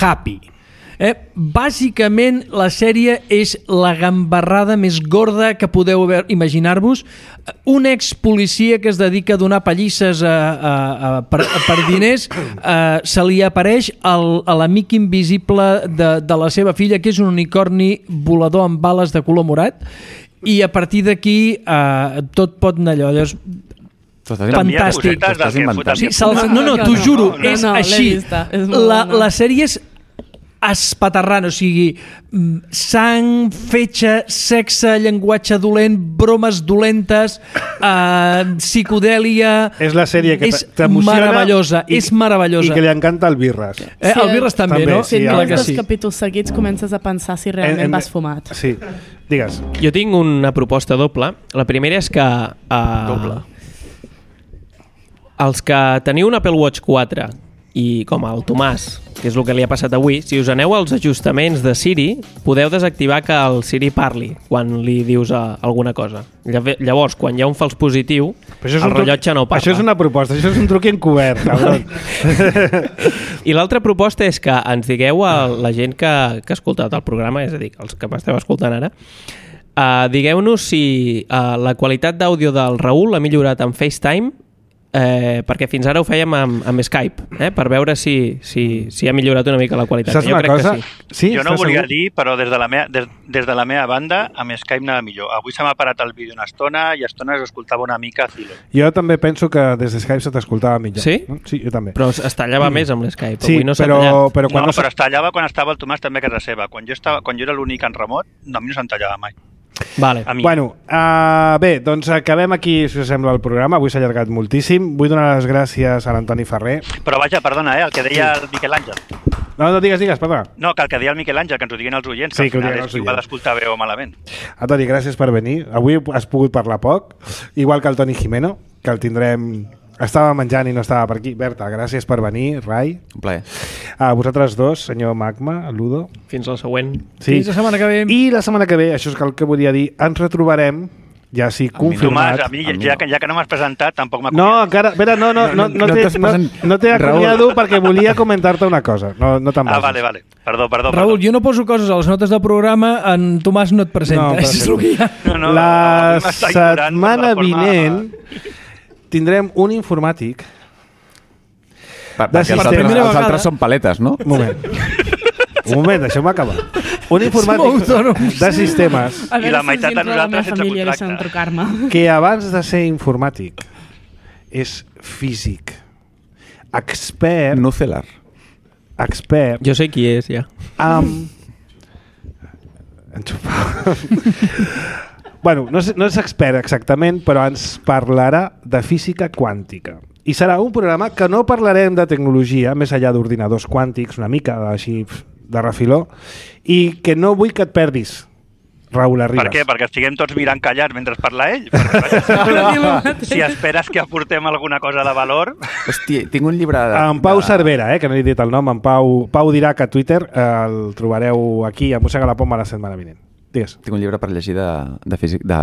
Happy. Eh? Bàsicament la sèrie és la gambarrada més gorda que podeu imaginar-vos. Un ex-policia que es dedica a donar pallisses a, a, a, per, a, per diners eh, se li apareix el, a l'amic invisible de, de la seva filla, que és un unicorni volador amb bales de color morat, i a partir d'aquí eh, tot pot anar allò. Llavors, fantàstic. Sí, no, no, t'ho juro, no, no, és no, així. La, la sèrie és espaterrant, o sigui, sang, fetge, sexe, llenguatge dolent, bromes dolentes, uh, psicodèlia... És la sèrie que t'emociona. Meravellosa, i, és meravellosa. I que li encanta el Birres. Eh, sí, el Birres també, també, no? Si sí, no que dos sí. capítols seguits comences a pensar si realment en, en, vas fumat. Sí, digues. Jo tinc una proposta doble. La primera és que... Uh, doble. Els que teniu un Apple Watch quatre i com el Tomàs, que és el que li ha passat avui, si us aneu als ajustaments de Siri, podeu desactivar que el Siri parli quan li dius a alguna cosa. Llavors, quan hi ha un fals positiu, el rellotge no parla. Això és una proposta, això és un truc encobert, cabrón. I l'altra proposta és que ens digueu a la gent que, que ha escoltat el programa, és a dir, els que m'esteu escoltant ara, uh, digueu-nos si uh, la qualitat d'àudio del Raül ha millorat en FaceTime, Eh, perquè fins ara ho fèiem amb, amb Skype, eh, per veure si, si, si ha millorat una mica la qualitat. Saps jo una crec cosa? que sí. sí jo no ho volia segur? dir, però des de, la meva, des, des de la meva banda, amb Skype anava millor. Avui se m'ha parat el vídeo una estona i a estones escoltava una mica a Zilo. Jo també penso que des de Skype se t'escoltava millor. Sí? No? Sí, jo també. Però es tallava mm. més amb l'Skype. Sí, avui no però, però, quan no, no, però es tallava quan estava el Tomàs també a casa seva. Quan jo, estava, quan jo era l'únic en remot, no, a mi no se'm tallava mai. Vale. Bueno, uh, bé, doncs acabem aquí, si us sembla, el programa. Avui s'ha allargat moltíssim. Vull donar les gràcies a l'Antoni Ferrer. Però vaja, perdona, eh, el que deia sí. el Miquel Àngel. No, no, digues, digues, perdona. No, que el que deia el Miquel Àngel, que ens ho diguin els oients, sí, que al final és qui ho va d'escoltar bé o malament. Antoni, gràcies per venir. Avui has pogut parlar poc, igual que el Toni Jimeno, que el tindrem... Estava menjant i no estava per aquí. Berta, gràcies per venir. Rai. Un plaer. A vosaltres dos, senyor Magma, Ludo. Fins la següent. Sí. Fins la setmana que ve. I la setmana que ve, això és el que volia dir, ens retrobarem, ja sí, confirmat. Tomàs, a mi, a mi ja, que, ja que no m'has presentat, tampoc m'ha No, encara... Vera, no, no, no, no, no, no, no, no t'he acomiado perquè volia comentar-te una cosa. No, no te'n Ah, vale, vale. Perdó, perdó. Raül, perdó. jo no poso coses a les notes del programa, en Tomàs no et presenta. No, és el que hi ha. No, no, la no, setmana forma... vinent tindrem un informàtic. Per, perquè els altres, els altres són paletes, no? Un moment. Un moment, deixeu-me acabar. Un informàtic de sistemes I la meitat de nosaltres sense contracte. Que abans de ser informàtic és físic, expert... Nucelar. Expert... Jo sé qui és, ja. Amb... bueno, no és, no és expert exactament, però ens parlarà de física quàntica. I serà un programa que no parlarem de tecnologia, més enllà d'ordinadors quàntics, una mica així de refiló, i que no vull que et perdis, Raül Arribas. Per què? Perquè estiguem tots mirant callats mentre parla ell? Perquè, si esperes que aportem alguna cosa de valor... Hòstia, tinc un llibre... De, en Pau de... Cervera, eh, que no he dit el nom, en Pau, Pau Dirac a Twitter, eh, el trobareu aquí a Mossega la Poma la setmana vinent. Digues. Tinc un llibre per llegir de, de, físic, de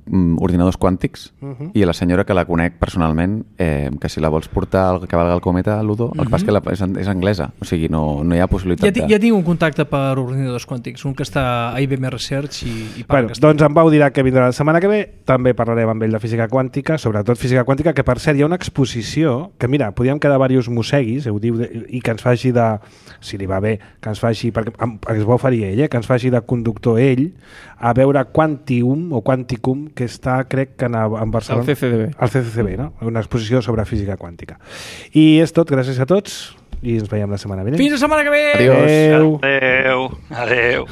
um, ordinadors quàntics uh-huh. i la senyora que la conec personalment, eh, que si la vols portar al cavalgar el cometa, Ludo, uh-huh. el que passa que la, és, és anglesa, o sigui, no, no hi ha possibilitat ja, de... Ja tinc un contacte per ordinadors quàntics, un que està a I B M Research i, i bueno, que doncs en Pau dirà que vindrà la setmana que ve, també parlarem amb ell de física quàntica, sobretot física quàntica, que per cert hi ha una exposició que mira, podíem quedar diversos mosseguis, ho diu, i que ens faci de, si li va bé, que ens faci, perquè es va oferir ell, eh, que ens faci de conductor ell, a veure Quantium o Quanticum, que està, crec que a, en Barcelona... Al C C D B. Al C C D B, no? Una exposició sobre física quàntica. I és tot, gràcies a tots, i ens veiem la setmana vinent. Fins la setmana que ve! Adiós. Adéu. Adéu.